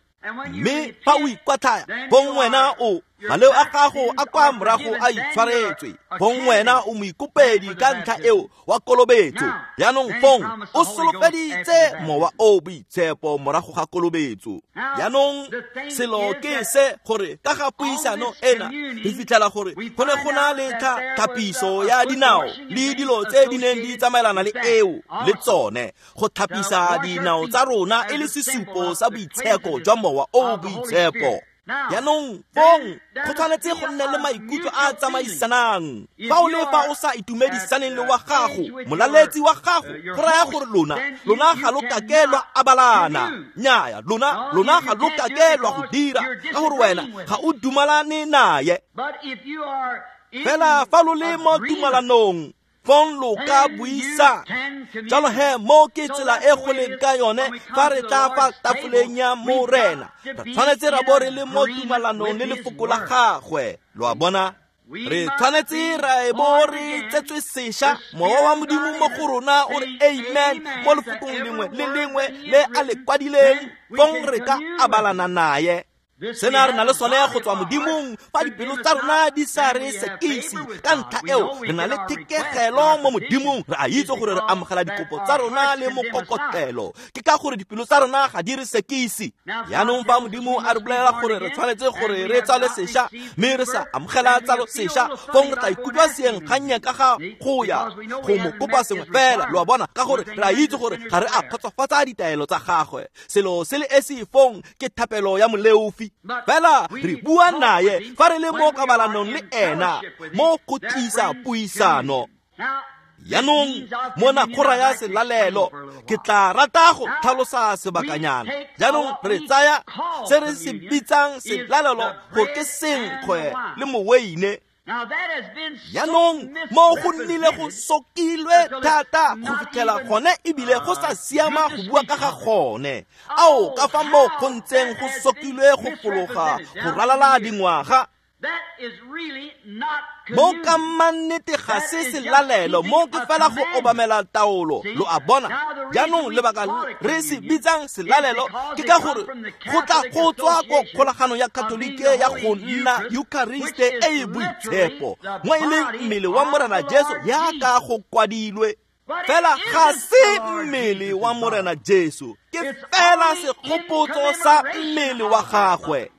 mme fa o ikwatlhaya, bong wena o Maleo a gago a kwa morago a itshwaretswe. Fong wena o moikopedi ka ntlha eo wa kolobetso. Jaanong fong o solofeditse Mowa o Boitshepo morago ga kolobetso. Jaanong selo ke se gore ka ga puisano ena re fitlhela gore go ne go na le thapiso ya dinao le dilo tse di neng di tsamaelana le eo le tsone go thapisa dinao tsa rona e le sesupo sa boitsheko jwa Mowa o Boitshepo. Jaanong fong go tshwanetse go nne le maikutlo a a tsamaisanang. Fa o le fa o sa itumedisaneng le wa gago, molaletsi wa gago, go raya gore lona ga lo kake lwa abalana. Nnyaya, lona ga lo kake lwa go dira, ka gore wena ga o dumalane naye. Fela fa lo le mo tumalanong, fong lo ka buisa. Jalo he mo ke tsela e go leng ka yone fa re tla fa tafoleng ya Morena. Re tshwanetse ra bo re le mo tumalanong le lefoko la gagwe. Lo a bona? Re tshwanetse ra e bo re tsetswe sešwa, Mowa wa Modimo mo go rona o re amen mo lefokong lengwe le lengwe le a le kwadileng, fong re ka abalana naye. Sena re na le sone go tswa Modimong fa dipelo tsa rona di sa re sekise. Ka ntlha eo re na le thekegelo mo Modimong, re a itse gore re amogela dikopo tsa rona le mokokotelo. Ke ka gore dipelo tsa rona ga di re sekise. Jaanong fa Modimo a re bolelela gore re tshwanetse gore re tsale sešwa, mme re sa amogela tsalo sešwa, fong re tla ikutlwa seeng kgannye ka ga go ya go mo kopa sengwe fela. Lo a bona? Ka gore re a itse gore ga re a kgotsofatsa ditaelo tsa gagwe. Selo se le esi fong ke thapelo ya moleofi. Fela re bua naye fa re le mo kabalanong le ena mo go tlisa puisano. Jaanong mona go raya selalelo. Ke tla rata go tlhalosa sebakanyana. Jaanong re tsaya se re se bitsang selalelo gore ke senkgwe le moweine. Jaanong mo go nnile go sokilwe thata go fitlhela gone ebile go sa siama go bua ka ga gone. Ao ka fa mo go ntseng go sokilwe go fologa go ralala dingwaga. Mo ka mannete ga se selalelo, mo ke fela go obamela taolo. Lo a bona? Jaanong lebaka re se bitsang selalelo ke ka gore go tla go tswa ko kgolaganong ya Katolike ya go nna Euchariste e e boitshepo, mo e leng mmele wa Morena Jesu yaka go kwadilwe. Fela ga se mmele wa Morena Jesu, ke fela segopotso sa mmele wa gagwe.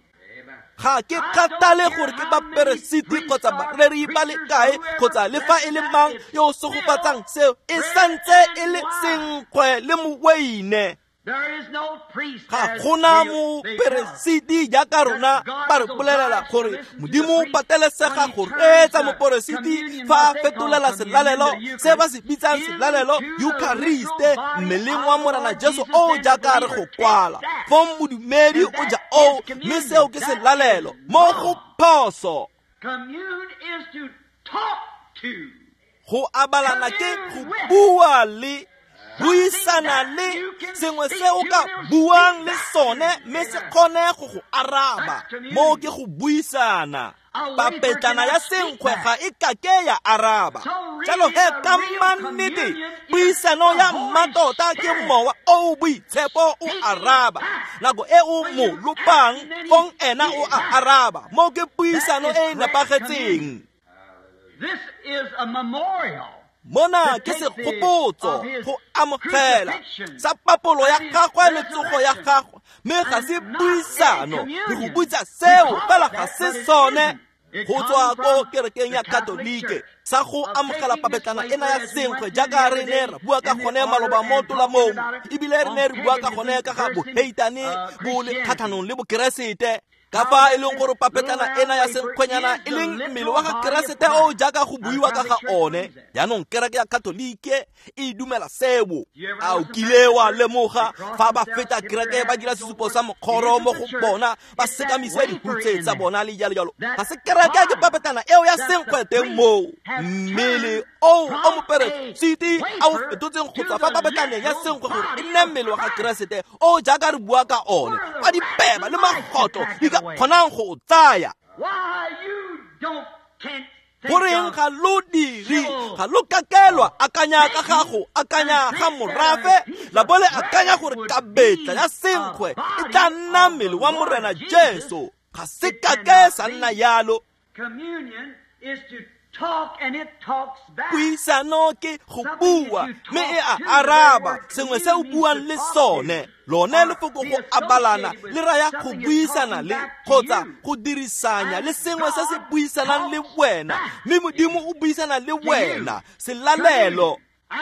Ga ke kgathale gore ke baperesiti kgotsa bareri ba le kae kgotsa le fa e le mang yo o segofatsang seo, e santse e le senkgwe le moweine. Ga gona moperesiti jaaka rona ba re bolelela gore Modimo o patelesega go reetsa moperesiti fa a fetolela selalelo se ba se bitsang selalelo Euchariste mmeleng wa Morena Jesu o jaaka re go kwala. Fong modumedi o ja oo, mme seo ke selalelo. Mo go phoso. Go abalana ke go bua le buisana le sengwe se o ka buang le sone mme se kgone go go araba. Mo ke go buisana. Papetlana ya senkgwe ga e kake ya araba. Jalo he ka mannete puisano ya mmatota ke Mowa o Boitshepo o araba. Nako e o mo lopang fong ena o a araba. Mo ke puisano e e nepagetseng. This is a memorial. Mona ke segopotso go amogela sa papolo ya gagwe le tsogo ya gagwe, mme ga se puisano. Re go butsa seo fela ga se sone go tswa ko kerekeng ya Katolike sa go amogela papetlana ena ya senkgwe jaaka re ne ra bua ka gone maloba mo tolamong, ebile re ne re bua ka gone ka ga boheitane bo le kgatlhanong le bokeresete. Ka fa e leng gore papetlana ena ya senkgwenyana e leng mmele wa ga Keresete o jaaka go buiwa ka ga one. Jaanong kereke ya Katolike e dumela seo. A o kile wa lemoga fa ba feta kereke ba dira sesupo sa mokgoro mo go bona, ba sekamise dihutse tsa bona le jalo jalo. Ga se kereke, ke papetlana eo ya senkgwe teng moo. Mmele oo o moperesiti a o fetotseng go tswa fa papetlaneng ya senkgwe gore e nne mmele wa ga Keresete o jaaka re bua ka one, kwa dipeba le magotlo di ka kgonang go o tsaya. Goreng ga lo dire, ga lo kakelwa akanya ka gago, akanya ga morafe, la bo le akanya gore kabetla ya senkgwe e tla nna mmele wa Morena Jesu. Ga se kake sa nna yalo. Puisano ke go bua mme e a araba sengwe se o buang le sone. Lone lefoko go abalana le raya go buisana le kgotsa go dirisanya le sengwe se se buisanang le wena, mme Modimo o buisana le wena. Selalelo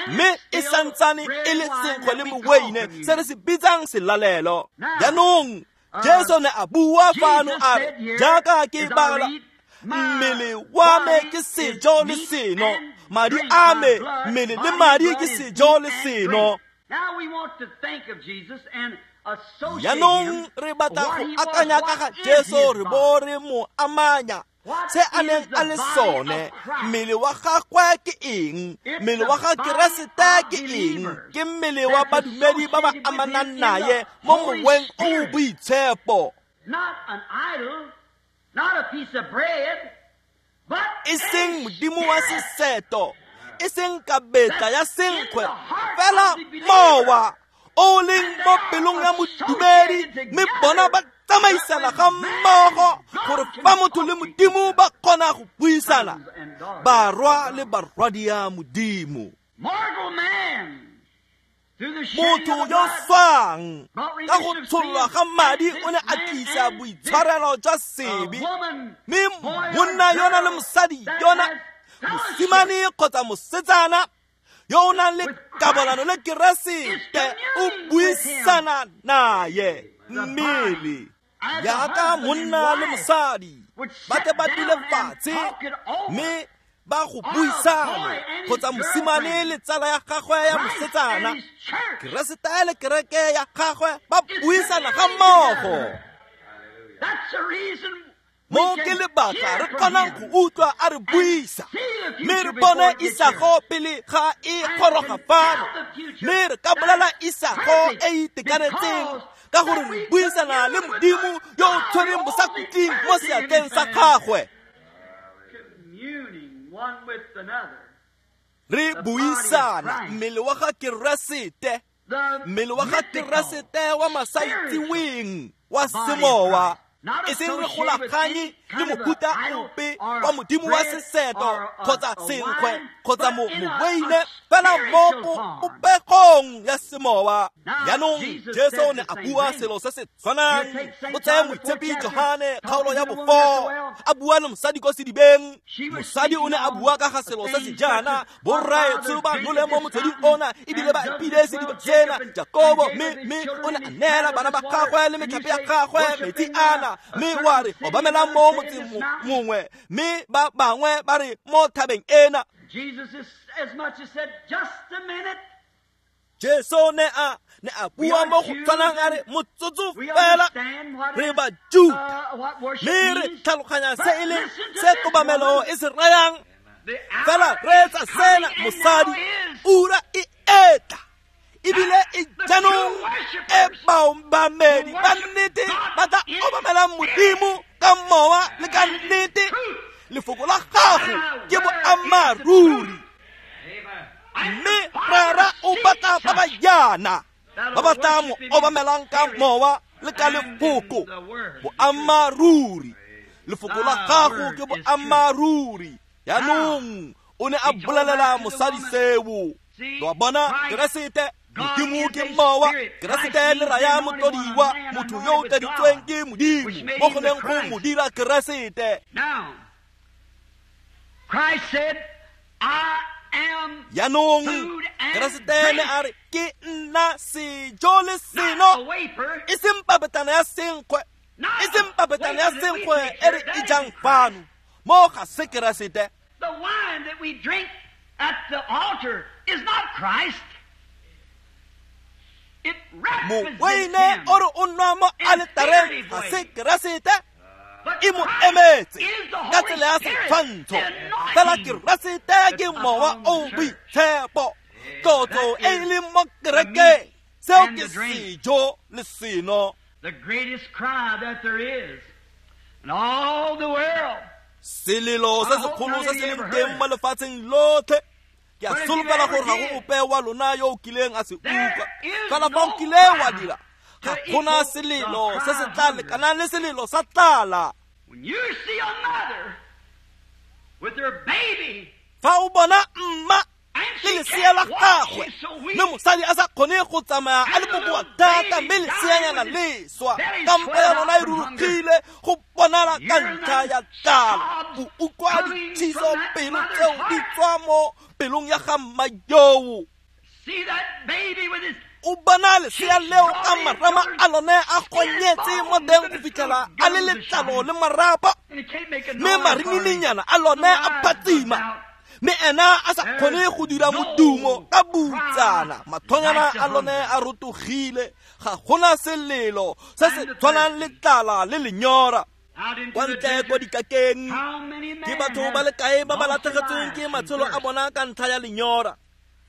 mme e santsane e le senkgwe le moweine se re se bitsang selalelo. Jaanong Jesu ne a bua fano a re, jaaka ke bala, mmele wa me ke sejo le seno, madi a me, mmele le madi ke sejo le seno. Jaanong re batla go akanya ka ga Jesu re bo re mo amanya se a neng a le sone. Mmele wa gagwe ke eng? Mmele wa ga Keresete ke eng? Ke mmele wa badumedi ba ba amanang naye mo moweng o o boitshepo. E seng modimo wa seseto, e seng kabetla ya senkgwe, fela mowa o leng mo pelong ya modumedi, mme bona ba tsamaisana ga mmogo gore fa motho le Modimo ba kgona go buisana, barwa le barwadia Modimo. Motho yo swang ka go tshollwa ga madi o ne a tlisa boitshwarelo jwa sebe, mme monna yona le mosadi yona, mosimane kgotsa mosetsana yo o nang le kabolano le Keresete o buisana naye. Mmele jaaka monna le mosadi ba tle ba dule fatshe mme ba go buisana, kgotsa mosimane le tsala ya gagwe ya mosetsana, Keresete le kereke ya gagwe ba buisana ga mmogo. Mo ke lebaka re kgonang go utlwa a re buisa, mme re bone isago pele ga e goroga fano, mme re ka bolela isago e itekanetseng ka gore re buisana le Modimo yo o tshwereng bosakhutleng mo seatleng sa gagwe. Re buisana mmele wa ga Keresete, mmele wa ga Keresete wa masaitseweng wa semowa, e seng re golaganye le mohuta ope wa modimo wa seseto kgotsa senkgwe kgotsa moweine, fela mo popegong ya semowa. Jaanong Jesu o ne a bua selo se se tshwanang. O tsaya moitshepi Johane kgaolo ya bo-4, a bua le mosadi ko sedibeng. Mosadi o ne a bua ka ga selo se se jaana, borraetsho ba nole mo motsweding ona ebile ba epile sediba sena, Jakobo, mme o ne a neela bana ba gagwe le metlhape ya gagwe metsi ana, mme wa re obamelang mo motseng mongwe, mme ba bangwe ba re mo thabeng ena. Jesu ne a bua mo go tshwanang a re motsotso fela, re Bajuda mme re tlhaloganya se e leng se kobamelo e se rayang, fela reetsa sena mosadi, ura e etla ebile e jaanong e baobamedi ba nnete ba tla obamelang Modimo ka mowa le ka nnete. Lefoko la gago ke boammaaruri, mme Rara o batla ba ba jaana ba ba tla mo obamelang ka mowa le ka lefoko boammaaruri. Lefoko la gago ke boammaaruri. Jaanong o ne a bolelela mosadi seo. Lo a bona, Keresete Modimo ke mowa, Keresete le raya motlodiwa, motho yo o tladitsweng ke Modimo mo go neng go mo dira Keresete. Jaanong Keresete ne a re, ke nna sejo le seno, e seng papetlana ya senkgwe, e seng papetlana ya senkgwe e re e jang fano, mo ga se Keresete. The wine that we drink at the altar is not Christ. It represents Moweine o re o nwa mo aletareng ga se Keresete, e mo emetse ka tsela ya setshwantsho, fela Keresete ke mowa o boitshepo, tlotlo e e leng mo kerekeng. Seo ke sejo le seno. The greatest cry that there is in all the world. Selelo se segolo se se leng teng mo lefatsheng lotlhe. Ke a solofela gore ga go ope wa lona yo o kileng a se utlwa, fela fa o kile wa dira, Ga gona selelo se se tla lekanang le selelo sa tlala. Fa o bona mma le lesea la gagwe mme mosadi a sa kgone go tsamaya a le bokoa thata, mme leseanyana le swa ka mpa ya lona e rurugile go bonala ka ntlha ya tlala, o utlwa dithiso pelo tseo di tswa mo pelong ya ga mma yoo. O bona lesea leo ka marama a lone a gonyetse mo teng go fitlhela a le letlalo le marapa, mme marinininyana a lone a phatsima, mme ena a sa kgone go dira modumo ka butsana, mathonyana a lone a rotogile. Ga gona selelo se se tshwanang le tlala le lenyora. Kwa ntle kwa dikakeng ke batho ba le kae ba ba latlhegetsweng ke matshelo a bona ka ntlha ya lenyora.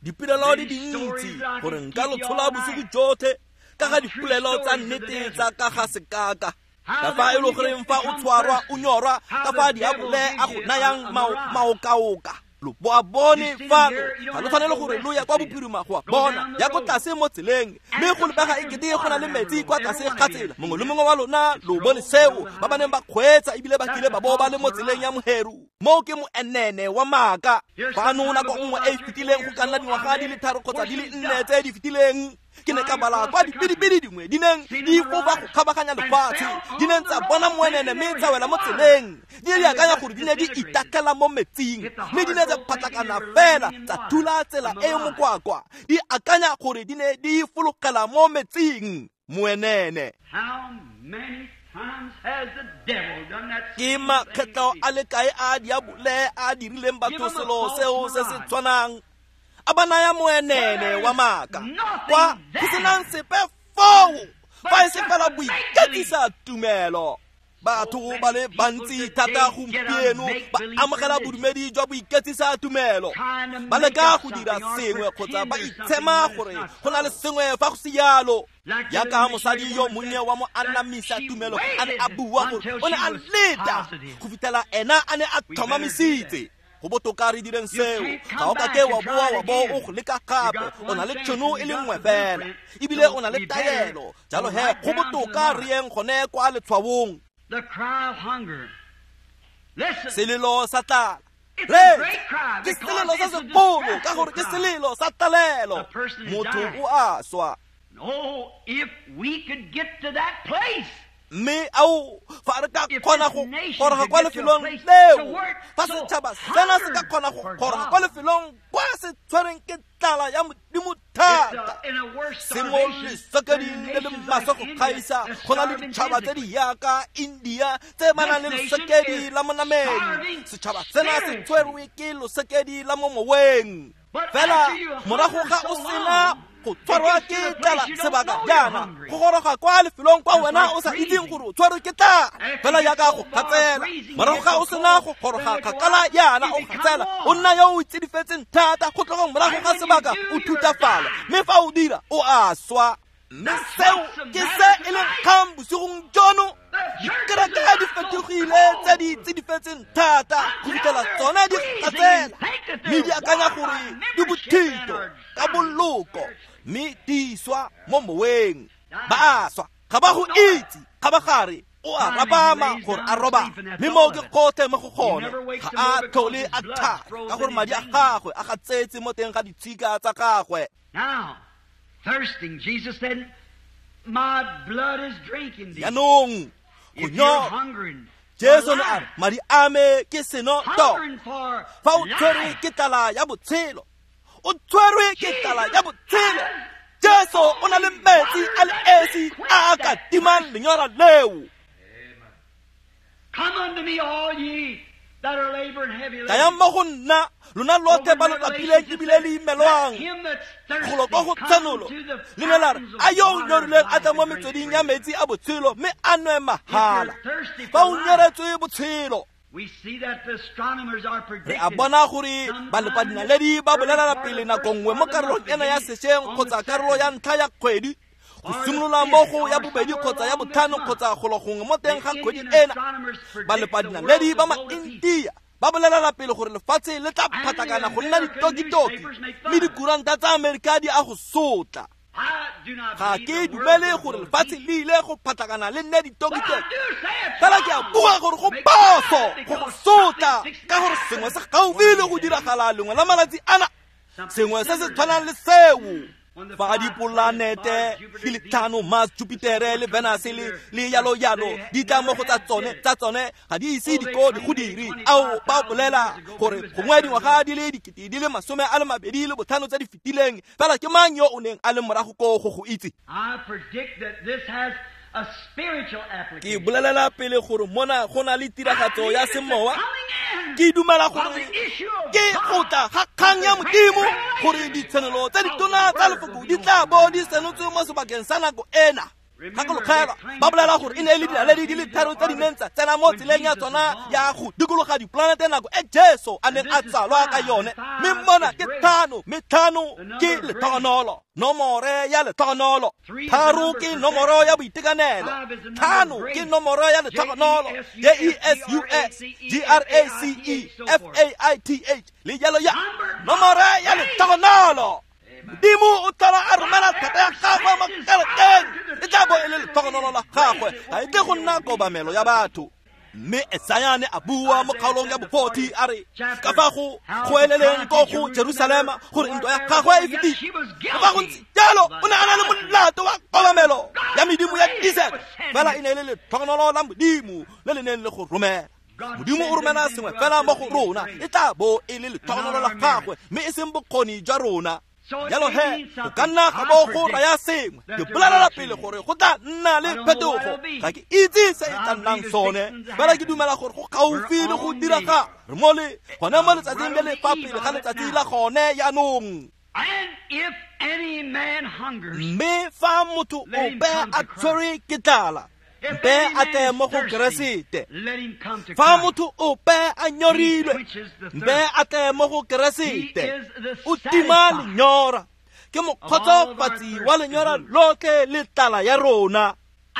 Dipolelo di dintsi gore nka lo tshola bosigo jotlhe ka ga dipolelo tsa nnete tsa ka ga sekaka, ka fa e le goreng fa o tshwarwa o nyorwa, ka fa diabole a go nayang maokaoka. Lo bo a bone fano, ga lo tshwanele gore lo ya kwa bophirima go a bona, ya ko tlase mo tseleng, mme go lebega ekete go na le metsi kwa tlase ga tsela. Mongwe le mongwe wa lona lo bone seo, ba ba neng ba kgweetsa ebile ba kile ba bo ba le mo tseleng ya Moheru. Moo ke moenene wa maaka. Fano nako nngwe e e fetileng, go ka nna dingwaga di le 3 kgotsa di le 4 tse di fetileng, ke ne ka bala kwa dipidipidi dingwe di neng di fofa go kgabaganya lefatshe, di neng tsa bona moenene mme tsa wela mo tseleng. Di ne di akanya gore di ne di itatlhela mo metsing, mme di ne tsa phatlakana fela tsa thula tsela e mokwakwa, di akanya gore di ne di fologela mo metsing. Moenene. Ke makgetlo a le kae a diabole a dirileng batho selo seo se se tshwanang, a ba naya moenene wa maaka kwa go senang sepe foo, fa e se fela boiketsisa tumelo. Batho ba le bantsi thata gompieno ba amogela bodumedi jwa boiketsisa tumelo, ba leka go dira sengwe kgotsa ba itshema gore go na le sengwe fa go se jalo. Jaaka mosadi yo monnye wa mo anamisa tumelo a ne a bua gore o ne a leta go fitlhela ena a ne a tlhomamisitse. Go botoka re direng seo, ga o kake wa boa wa bo o go leka gape. O na le tšhono e le nngwe fela, ebile o na le taelo. Jalo he go botoka re yeng gone kwa letshwaong. Selelo sa tlala. Re ke selelo se segolo ka gore ke selelo sa tlalelo. Motho o a swa. Mme ao fa re ka kgona go goroga kwa lefelong leo, fa setšhaba sena se ka kgona go goroga kwa lefelong kwa se tshwereng ke tlala ya Modimo thata, se mo lesokeding le le maswe go kgaisa go na le ditšhaba tse di yaka India tse ba nang le lesekedi la mo nameng. Setšhaba sena se tshwerwe ke losekedi la mo moweng. Fela morago ga o sena go tshwarwa ke tlala sebaka jaana, go goroga kwa lefelong kwa wena o sa itseng gore o tshwarwe ke tlala, fela jaaka go gatsela. Morago ga o sena go goroga kgakala jaana o gatsela, o nna yo o itsedifetseng thata, go tloga morago ga sebaka o thutafala, mme fa o dira o a swa. Mme seo ke se e leng kgang bosigong jono. Dikereke di fetogile tse di tsidifetseng thata go fitlhela tsone di gatsela, mme di akanya gore di bothito ka boloko, mme di swa mo moweng. Ba a swa, ga ba go itse. Kgabagare o a rapama gore a roba, mme moo ke kgothe mo go gone. Ga a tlhole a thata ka gore madi a gagwe a gatsetse mo teng ga ditshika tsa gagwe. Jaanong go nyorwa, Jesu ne a re, madi a me ke seno to. Fa o tshwerwe ke tlala ya botshelo, o tshwerwe ke tlala ya botshelo, Jesu o na le metsi a le esi a a ka timang lenyora leo. Tlayang mo go nna, lona lotlhe ba lo lapileng ebile le imelwang. Golo kwa go Tshenolo le ne la re, a yo o nyorilweng a tla mo metsweding ya metsi a botshelo mme a nwe mahala. Fa o nyoretswe botshelo, re a bona gore balepadinaledi ba bolelela pele nako nngwe mo karolong ena ya sešweng kgotsa karolo ya ntlha ya kgwedi, go simolola mo go ya bobedi kgotsa ya botlhano kgotsa golo gongwe mo teng ga kgwedi ena. Balepadinaledi ba ma-India ba bolelela pele gore lefatshe le tla phatlakana go nna ditokitoki, mme dikuranta tsa Amerika di a go sotla. Ga ke dumele gore lefatshe le ile go phatlakana le nne ditokitoki, fela ke a bua gore go phoso go go sotla, ka gore sengwe se gaufi le go diragala lengwe la malatsi ana, sengwe se se tshwanang le seo. Fa dipolanete di le tlhano, Mars, Jupitere le Venus le yalo yalo, di tla mo go tsa tsone ga di ise diko di go dire. Ao, ba bolela gore gongwe dingwaga di le 2025 tse di fetileng, fela ke mang yo o neng a le morago ko go go itse? Ke bolelela pele gore mona go na le tiragatso ya semowa. Ke dumela gore ke go tla ga kgang ya Modimo, gore ditshenolo tse ditona tsa lefoko di tla bo di senotswe mo sebakeng sa nako ena. Gakologelwa, ba bolela gore e ne e le dinaledi di le tharo tse di neng tsa tsena mo tseleng ya tsona ya go dikologa dipolanete nako e Jesu a neng a tsalwa ka yone. Mme mona ke tlhano, mme tlhano ke letlhogonolo, nomore ya letlhogonolo. Tharo ke nomoro ya boitekanelo, tlhano ke nomoro ya letlhogonolo. J-E-S-U-S, G-R-A-C-E, F-A-I-T-H, le jalo ya nomore ya letlhogonolo. Modimo o tlhola a romela thata ya gagwe mo kerekeng, e tla bo e le letlhogonolo la gagwe, ga e tle go nna kobamelo ya batho. Mme Esaya ne a bua mo kgaolong ya bo-40 a re ka fa go goeleleng ko go Jerusalema gore ntwa ya gagwe e fetile. Fa go ntse jalo, o ne a na le molato wa kobamelo ya medimo ya diesel, fela e ne e le letlhogonolo la Modimo le le neng le go romela. Modimo o romela sengwe fela mo go rona, e tla bo e le letlhogonolo la gagwe, mme e seng bokgoni jwa rona. Jalo he, go ka nna ga bo go raya sengwe. Ke bolelela pele gore go tla nna le phetogo. Ga ke itse se e tla nnang sone, fela ke dumela gore go gaufi le go diragala. Re mo le gone mo letsatsing le le fa pele ga letsatsi la gone jaanong. Mme fa motho ope a tshwerwe ke tlala, mpe a tle mo go Keresete. Fa motho ope a nyorilwe, mpe a tle mo go Keresete. O tima lenyora, ke mokgotsofatsi wa lenyora lotlhe le tlala ya rona.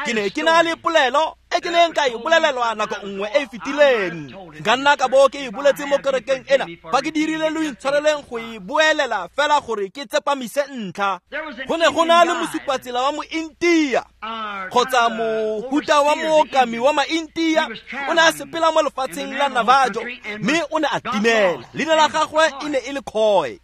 Ke ne ke na le polelo e ke neng ka e bolelelwa nako nngwe e e fetileng. Nka nna ka bo ke e boletse mo kerekeng ena, fa ke dirile lo intshwareleng go e boelela fela gore ke tsepamise ntlha. Go ne go na le mosupatsela wa Mointia, kgotsa mohuta wa mookami wa Maintia, o ne a sepela mo lefatsheng la Navajo, mme o ne a timela. Leina la gagwe e ne e le Coy,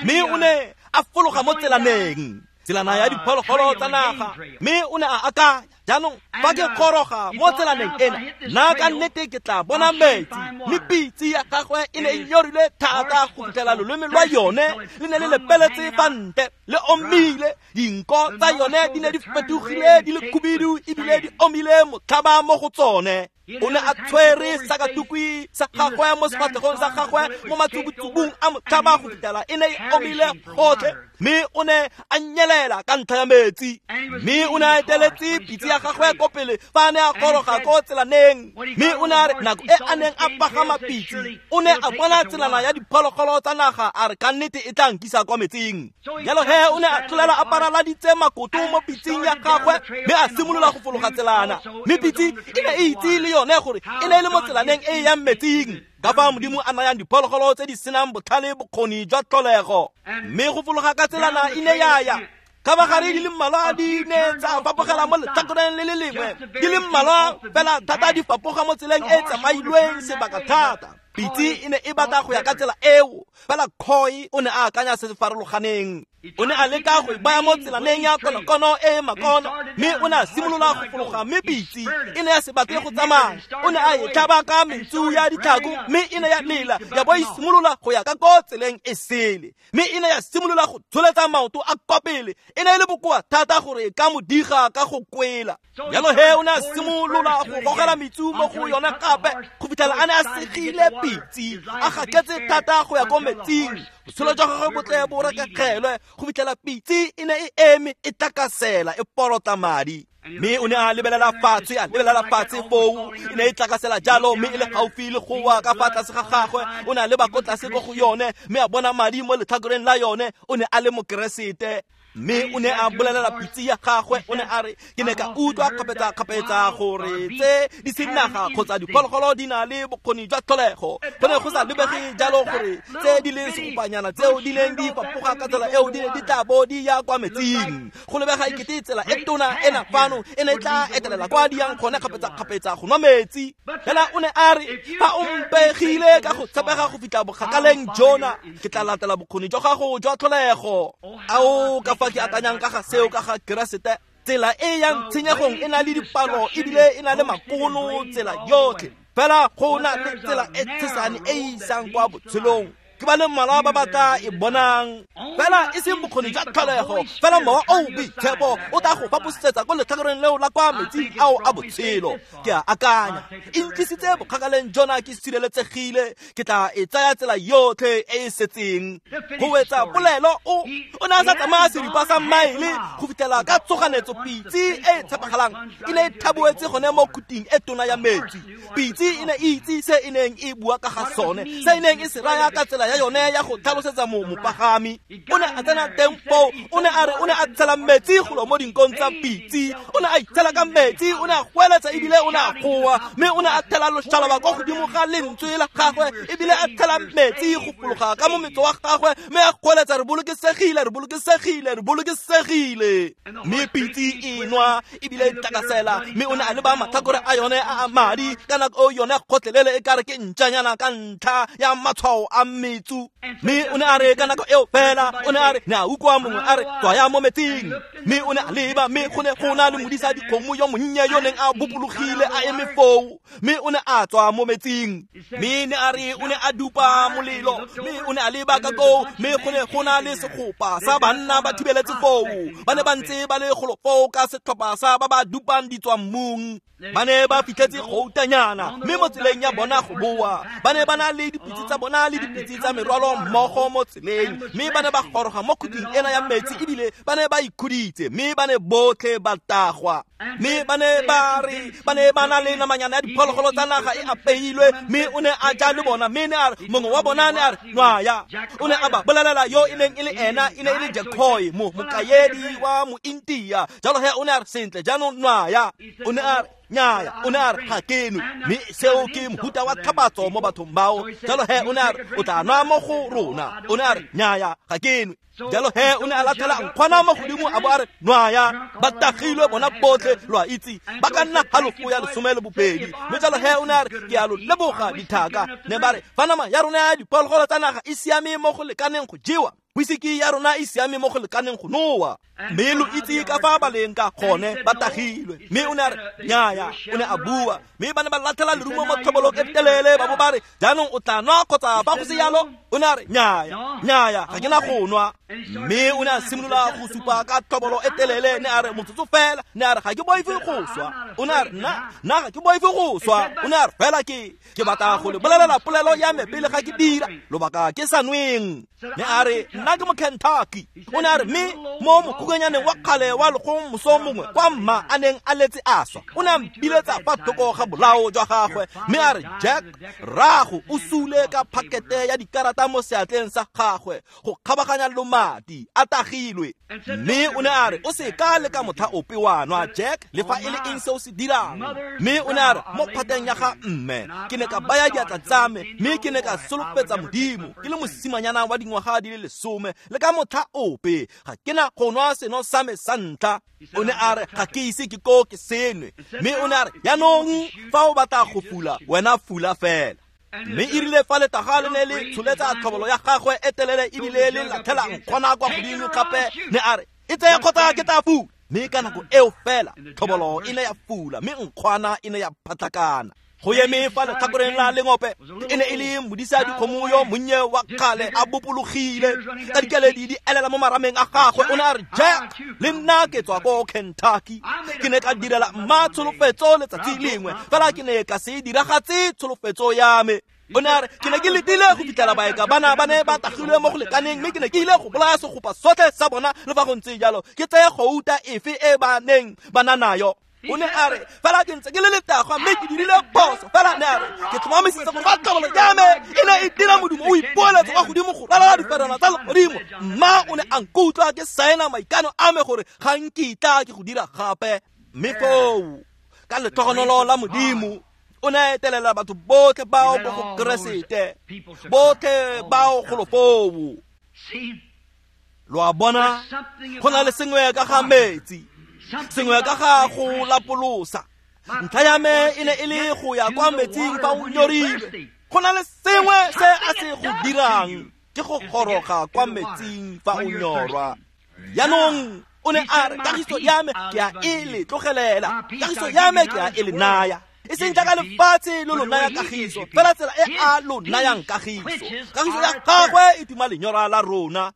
mme o ne a fologa mo tselaneng, tselana ya diphologolo tsa naga, mme o ne a akanya, jaanong fa ke goroga mo tselaneng ena, nna ka nnete ke tla bona metsi. Mme pitse ya gagwe e ne e nyorilwe thata go fitlhela loleme lwa yone le ne le lepeletse fa ntle, le omile. Dinko tsa yone di ne di fetogile di le khubidu ebile di omile motlhaba mo go tsone. O ne a tshwere sakatukwi sa gagwe mo sefatlhegong sa gagwe mo matsubutsubung a motlhaba go fitlhela e ne e omile gotlhe, mme o ne a nyelela ka ntlha ya metsi. Mme o ne a eteletse pitse ya gagwe ko pele fa a ne a goroga ko tselaneng. Mme o ne a re nako e a neng a pagama pitse, o ne a bona tselana ya diphologolo tsa naga, a re ka nnete e tla nkisa kwa metsing. Jalo he o ne a tlolela a paraladitse makoto mo pitseng ya gagwe, mme a simolola go fologa tselana. Mme pitse e ne e itse le yone gore e ne e le mo tselaneng e e yang metsing, ka fa Modimo a nayang diphologolo tse di senang botlhale bokgoni jwa tlholego. Mme go fologa ka tselana e ne ya ya kgabagare di le mmalwa di ne tsa fapogela mo letlhakoreng le le lengwe, di le mmalwa fela thata di fapoga mo tseleng e e tsamailweng sebaka thata. Pitse e ne e batla go ya ka tsela eo, fela Coy o ne a akanya se se farologaneng. O ne a leka go e baya mo tselaneng ya konokono e e makono, mme o ne a simolola go fologa, mme pitse e ne ya se batle go tsamaya. O ne a e tlhaba ka mentsu ya ditlhako, mme e ne ya lela ya bo e simolola go ya ka ko tseleng e sele, mme e ne ya simolola go tsholetsa maoto a kwa pele. E ne e le bokoa thata gore e ka mo diga ka go kwela. Jalo he o ne a simolola go gogela metsu mo go yone gape go fitlhela a ne a segile pitse, a gaketse thata go ya ko metsing. Botshelo jwa gagwe bo tle bo rekekgelwe go fitlhela pitse e ne e eme e tlakasela e porota madi. Mme o ne a lebelela fatshe, a lebelela fatshe foo, e ne e tlakasela jalo, mme e le gaufi le go wa ka fa tlase ga gagwe. O ne a leba ko tlase ko go yone, mme a bona madi mo letlhakoreng la yone. O ne a le Mokeresete. Mme o ne a bolelela pitse ya gagwe, o ne a re, ke ne ka utlwa kgapetsa-kgapetsa gore tse di senaga kgotsa diphologolo di na le bokgoni jwa tlholego. Go ne go sa lebege jalo gore tse di leng segopanyana tseo di neng di fapoga ka tsela eo di ne di tla bo di ya kwa metsing. Go lebega ekete tsela e tona ena fano e ne e tla etelela kwa di yang gone kgapetsa-kgapetsa go nwa metsi. Fela o ne a re, fa o mpegile ka go tshepega go fitlha bokgakaleng jona, ke tla latela bokgoni jwa gago jwa tlholego. Ao, ka fa ke akanyang ka ga seo ka ga Keresete, tsela e yang tshenyegong e na le dipalo ebile e na le makono tsela yotlhe. Fela go na le tsela e tshesane e isang kwa botshelong. Ke ba le mmalwa ba ba tla e bonang. Fela e seng bokgoni jwa tlholego, fela mowa o o boitshepo o tla go faposisetsa ko letlhakoreng leo la kwa metsing ao a botshelo. Ke a akanya, e ntlisitse bokgakaleng jona ke sireletsegile, ke tla e tsaya tsela yotlhe e e setseng. Go wetsa polelo o ne a sa tsamaya seripa sa maele go fitlhela ka tsoganetso pitse e e tshepegalang e ne e thaboetse gone mo khuting e tona ya metsi. Pitse e ne e itse se e neng e bua ka ga sone, se e neng e se raya ka tsela ya yone ya go tlhalosetsa mopagami. O ne a tsena teng foo, o ne a re o ne a tshela metsi golo mo dinkong tsa pitse, o ne a itshela ka metsi, o ne a goeletsa ebile o ne a goa, mme o ne a thela loshalaba kwa godimo ga lentswe la gagwe, ebile a thela metsi go fologa ka mometso wa gagwe, mme a goeletsa, re bolokesegile, re bolokesegile, re bolokesegile. Mme pitse e nwa ebile e tlakasela, mme o ne a leba matlhakore a yone a a madi ka nako eo yone gotlhelele e kare ke ntšanyana ka ntlha ya matshwao a metsu. Mme o ne a re ka nako eo fela, o ne a re, ne a utlwa mongwe a re, tswaya mo metsing. Mme o ne a leba, mme go ne go na le modisa dikgomo yo monnye yo neng a bopologile a eme foo, mme o ne a tswa mo metsing. Mme ne a re o ne a dupa molelo, mme o ne a leba ka koo, mme go ne go na le segopa sa banna ba thibeletse foo. Ba ne ba ntse ba le golo foo ka setlhopha sa ba ba dupang ditswammung. Ba ne ba fitlhetse goutanyana, mme mo tseleng ya bona go boa ba ne ba na le dipitse tsa bona le dipitse tsa merwalo mmogo mo tseleng, mme ba ne ba goroga mo khuting ena ya metsi ebile ba ne ba ikhuditse, mme ba ne botlhe ba tagwa. Mme ba ne ba re ba ne ba na le namanyana ya diphologolo tsa naga e apeilwe, mme o ne a ja le bona. Mme ne a re mongwe wa bona ne a re nwaya, o ne a ba bolelela yo e neng e le ena, e ne e le Jacoy, mokaedi wa mointia. Jalo he o ne a re, sentle jaanong nwaya. O ne a re nnyaya, o ne a re ga ke nwe. Mme seo ke mohuta wa tlhapatso mo bathong bao. Jalo he o ne a re o tla nwa mo go rona. O ne a re nnyaya, ga ke nwe. Jalo he o ne a latlhela nkgwana mo godimo a bo a re nwaya. Ba tagilwe bona botlhe, lo a itse, ba ka nna halofo ya 12. Mme jalo he o ne a re, ke a lo leboga dithaka. Ne ba re, fa nama ya rona ya diphologolo tsa naga e siame mo go lekaneng go jewa, whisky ya rona e siame mo go lekaneng go nowa. Mme lo itse ka fa ba leng ka gone, ba tagilwe. Mme o ne a re nnyaya, o ne a bua. Mme ba ne ba latlhela lerumo mo tlhobolong e telele, ba bo ba re, jaanong o tla nwa kgotsa ba go se yalo? O ne a re nnyaya, nnyaya, ga ke na go nwa. Mme o ne a simolola go supa ka tlhobolo e telele, ne a re motsotso fela, ne a re ga ke boife go swa. O ne a re nna ga ke boife go swa. O ne a re fela ke batla go le bolelela polelo ya me pele ga ke dira lobaka ke sa nweng. Ne a re nna ke mo Kentucky. O ne a re mme mo mokukanyaneng wa kgale wa legong moso mongwe kwa mma a neng a letse a swa, o ne a mpiletsa fa thoko ga bolao jwa gagwe, mme a re, Jack, rrago o sule ka phakete ya dikarata mo seatleng sa gagwe go kgabaganya lomati a tagilwe. Mme o ne a re o se ka le ka motlha ope wa nwa, Jack, le fa e le eng se o se dirang. Mme o ne a re mo phateng ya ga mme ke ne ka baya diatla tsa me, mme ke ne ka solofetsa Modimo ke le mosimanyana wa dingwaga di le 10, le ka motlha ope ga ke na go nwa seno sa me sa ntlha. O ne a re ga ke ise ke ko ke senwe. Mme o ne a re jaanong fa o batla go fula, wena fula fela. Mme e rile fa letaga le ne le tsholetsa tlhobolo ya gagwe e telele ebile le latlhela nkgwana kwa godimo gape, ne a re e tseye kgotsa ke tla fula. Mme ka nako eo fela tlhobolo e ne ya fula, mme nkgwana e ne ya phatlakana. Go eme fa letlhakoreng la lengope e ne e le modisa dikgomo yo monnye wa kgale a bopologile ka dikeledi di elela mo marameng a gagwe. O ne a re, Jack, le nna ke tswa ko Kentucky. Ke ne ka direla mma tsholofetso letsatsi lengwe, fela ke ne ka se diragatse tsholofetso ya me. O ne a re ke ne ke letile go fitlhela baeka bana ba ne ba tagilwe mo go lekaneng, mme ke ne ke ile go bolaya segopa sotlhe sa bona, le fa go ntse jalo ke tseye gouta efe e ba neng ba na nayo. O ne a re fela ke ntse ke le letagwa mme ke dirile phoso, fela ne a re ke tlhomamisitse gore fa tlhobolo ya me e ne e dira modumo o ipoeletsa kwa godimo go ralala diferana tsa legodimo, mma o ne a nkutlwa ke saena maikano a me gore ga nkitla ke go dira gape. Mme foo ka letlhogonolo la Modimo o ne a etelela batho botlhe bao mo go Keresete, botlhe bao golo foo. Lo a bona, go na le sengwe ka ga metsi, sengwe ka ga go lapolosa. Ntlha ya me e ne e le go ya kwa metsing fa o nyorilwe. Go na le sengwe se a se go dirang, ke go goroga kwa metsing fa o nyorwa. Jaanong o ne a re kagiso ya me ke a e le tlogelela, kagiso ya me ke a e le naya. E seng jaaka lefatshe lo lo naya kagiso, fela tsela e a lo nayang kagiso. Kagiso ya gagwe e tima lenyora la rona.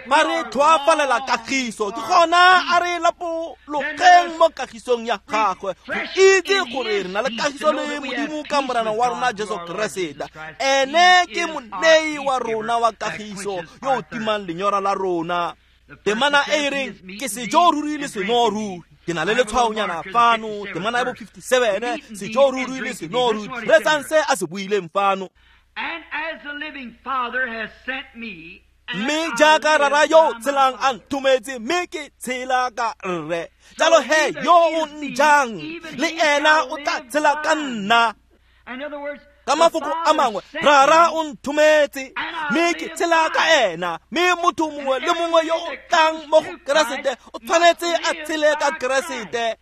Ba re tlhoafalela kagiso, ke gona a re lapologeng mo kagisong ya gagwe, go itse gore re na le kagiso le Modimo ka Morena wa rona Jesu Keresete. Ene ke monei wa rona wa kagiso yo o timang lenyora la rona. Temana e e reng ke sejo ruri le seno ruri, ke na le letshwaonyana fano, temana ya bo 57, sejo ruri le seno ruri. Reetsang se a se buileng fano. And as the living Father has sent me, Mme jaaka rara yo o tshelang a nthometse, mme ke tshela ka rre, jalo he yo o njang le ena o tla tshela ka nna. Ka mafoko a mangwe, rara o nthometse mme ke tshela ka ena, mme motho mongwe le mongwe yo o tlang mo go Keresete o tshwanetse a tshele ka Keresete.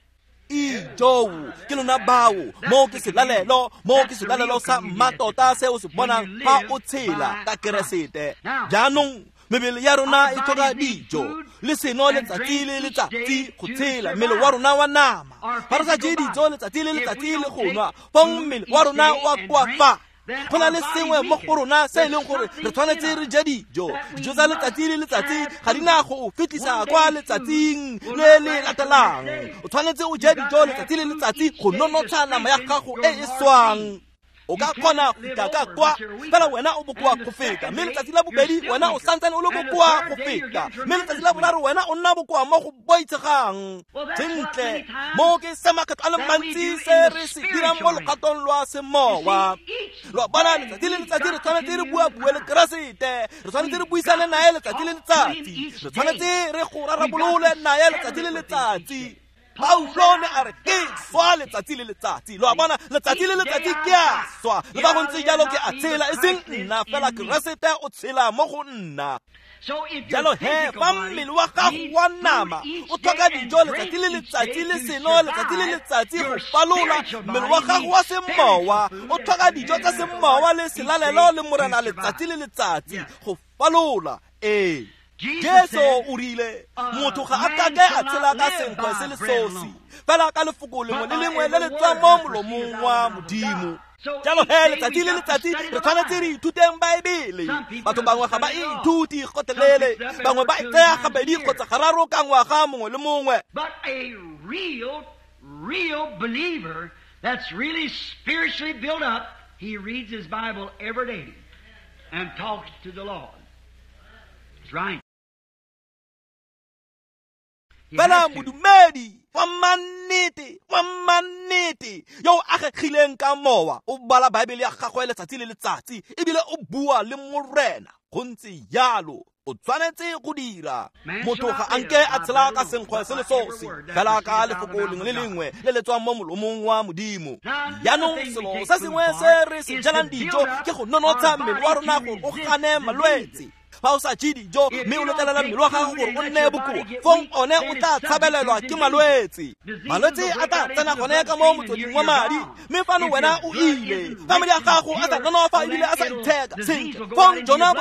Ijoo, ke lona bao, mo ke selalelo, mo ke selalelo sa mmatota se o se bonang fa o tshela ka Keresete. Jaanong mebele ya rona e tlhoka dijo le seno letsatsi le letsatsi go tshela mmele wa rona wa nama. Fa re sa je dijo letsatsi le letsatsi le go nwa, fong mmele wa rona wa koafa. Go na le sengwe mo go rona se e leng gore re tshwanetse re je dijo. Dijo tsa letsatsi le letsatsi ga di na go o fitlhisa kwa letsatsing le le latelang. O tshwanetse o je dijo letsatsi le letsatsi go nonotsha nama ya gago e e swang. O ka kgona go fitlha ka kwa, fela wena o bokoa go feta. Mme letsatsi la bobedi wena o santsane o le bokoa go feta. Mme letsatsi la boraro wena o nna bokoa mo go boitshegang. Sentle, mo ke se makgetlo a le mantsi se re se dirang mo logatong lwa semowa. Lo a bona, letsatsi le letsatsi re tshwanetse re bua-bue le Keresete, re tshwanetse re buisane naye letsatsi le letsatsi, re tshwanetse re go rarabolole naye letsatsi le letsatsi. Paulo ne a re ke swa letsatsi le letsatsi. Lo a bona, letsatsi le letsatsi ke a swa, le fa go ntse jalo ke a tshela, e seng nna fela, Keresete o tshela mo go nna. Jalo he fa mmele wa gago wa nama o tlhoka dijo letsatsi le letsatsi le seno letsatsi le letsatsi go falola, mmele wa gago wa semowa o tlhoka dijo tsa semowa le selalelo le Morena letsatsi le letsatsi go falola. Ee, Jesu o rile motho ga a kake a tshela ka senkgwe se le sosi, fela ka lefoko lengwe le lengwe le le tswang mo molomong wa Modimo. Jalo he letsatsi le letsatsi re tshwanetse re ithuteng Baebele. Batho bangwe ga ba e ithuti gotlhelele, bangwe ba e tsaya gabedi kgotsa gararo ka ngwaga mongwe le mongwe. But a real, real believer that's really spiritually built up, he reads his Bible every day and talks to the Lord. That's right. Fela modumedi wa mannete, wa mannete yo o agegileng ka mowa, o bala Baebele ya gagwe letsatsi le letsatsi ebile o bua le Morena. Go ntse jalo, o tshwanetse go dira. Motho ga a nke a tshela ka senkgwe se le sosi, fela ka lefoko lengwe le lengwe le le tswang mo molomong wa Modimo. Jaanong selo se sengwe se re se jalang dijo ke go nonotsha mmele wa rona gore o gane malwetse. Fa o sa je dijo mme o letlelela mmele wa gago gore o nne bokoa, fong one o tla tshabelelwa ke malwetse. Malwetse a tla tsena gone ka mo motsweding wa madi, mme fano wena o ile. Fa madi a gago a sa nonofa ebile a sa itheka sentle, fong jona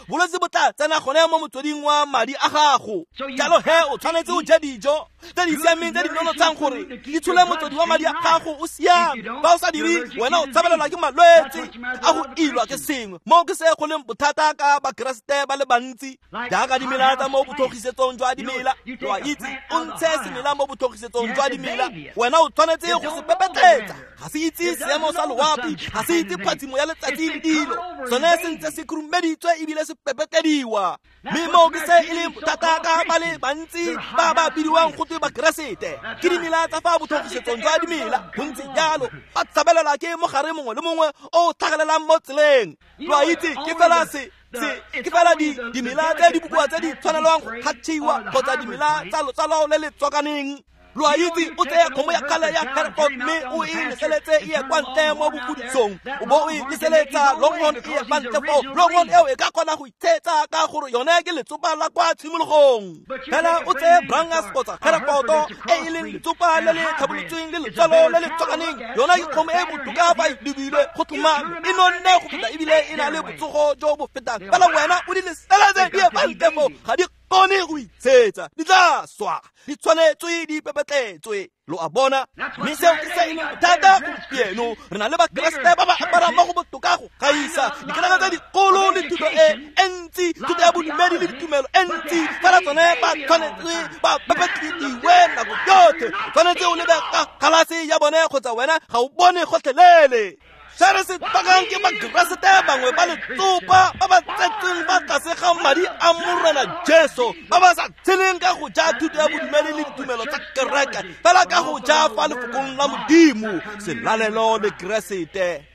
bolwetse bo tla tsena gone mo motsweding wa madi a gago. Jalo he o tshwanetse o je dijo tse di siameng tse di nonotshang gore di tshole motswedi wa madi a gago o siame. Fa o sa dire, wena o tshabelelwa ke malwetse a go ilwa ke sengwe. Mo ke se go leng bothata ka Bakeresete ba le bantsi, jaaka dimela tsa mo botlhogisetsong jwa dimela. Lo a itse, o ntshe semela mo botlhogisetsong jwa dimela, wena o tshwanetse go se pepetletsa. Ga se itse seemo sa loapi, ga se itse phatsimo ya letsatsi le dilo. Sone se ntse se khurumeditswe ebile se pepetediwa. Mme moo ke se e leng bothata ka ba le bantsi ba ba bidiwang go twe Bakeresete. Ke dimela tsa fa botlhogisetsong jwa dimela, go ntse jalo. Ba tshabelela ke mogare mongwe le mongwe o o tlhagelelang mo tseleng. Lo a itse ke fela se ke fela dimela tse di bokoa tse di tshwanelwang go kgatšhiwa kgotsa dimela tsa lotsalo le le tswakaneng. Lo a itse o tseye kgomo ya kgale ya Hereford mme o e leseletse e ye kwa ntle mo bofudisong, o bo o e leseletsa Longhorn e ye kwa ntle foo. Longhorn eo e ka kgona go itshetsa ka gore yone ke letsopa la kwa tshimologong. Fela o tseye Brangus kgotsa Herefordo e e leng letsopa le le tlhabolotsweng le letswalo le le tswakaneng, yona ke kgomo e botoka fa e lebilwe go tlhomame, e nonne go feta ebile e na le botsogo jo bo fetang. Fela wena o di leseletse di ye kwa ntle foo, ga di kgone go itshetsa, di tla swa, di tshwanetswe di pepetletswe. Lo a bona? Mme seo ke se e leng bothata gompieno. Re na le Bakeresete ba ba aparang mo go botoka go gaisa dikereke tse dikgolo le thuto e ntsi, thuto ya bodumedi le ditumelo e ntsi, fela tsone ba tshwanetse ba pepetlediwe nako yotlhe. O tshwanetse o lebe ka galase ya bone kgotsa wena ga o bone gotlhelele. Se re se tlhokang ke Bakeresete bangwe ba letsopa ba ba tsetseng ba tlase ga madi a Morena Jesu, ba ba sa tsheleng ka go ja thuto ya bodumedi le ditumelo tsa kereke, fela ka go ja fa lefokong la Modimo, selalelo le Keresete.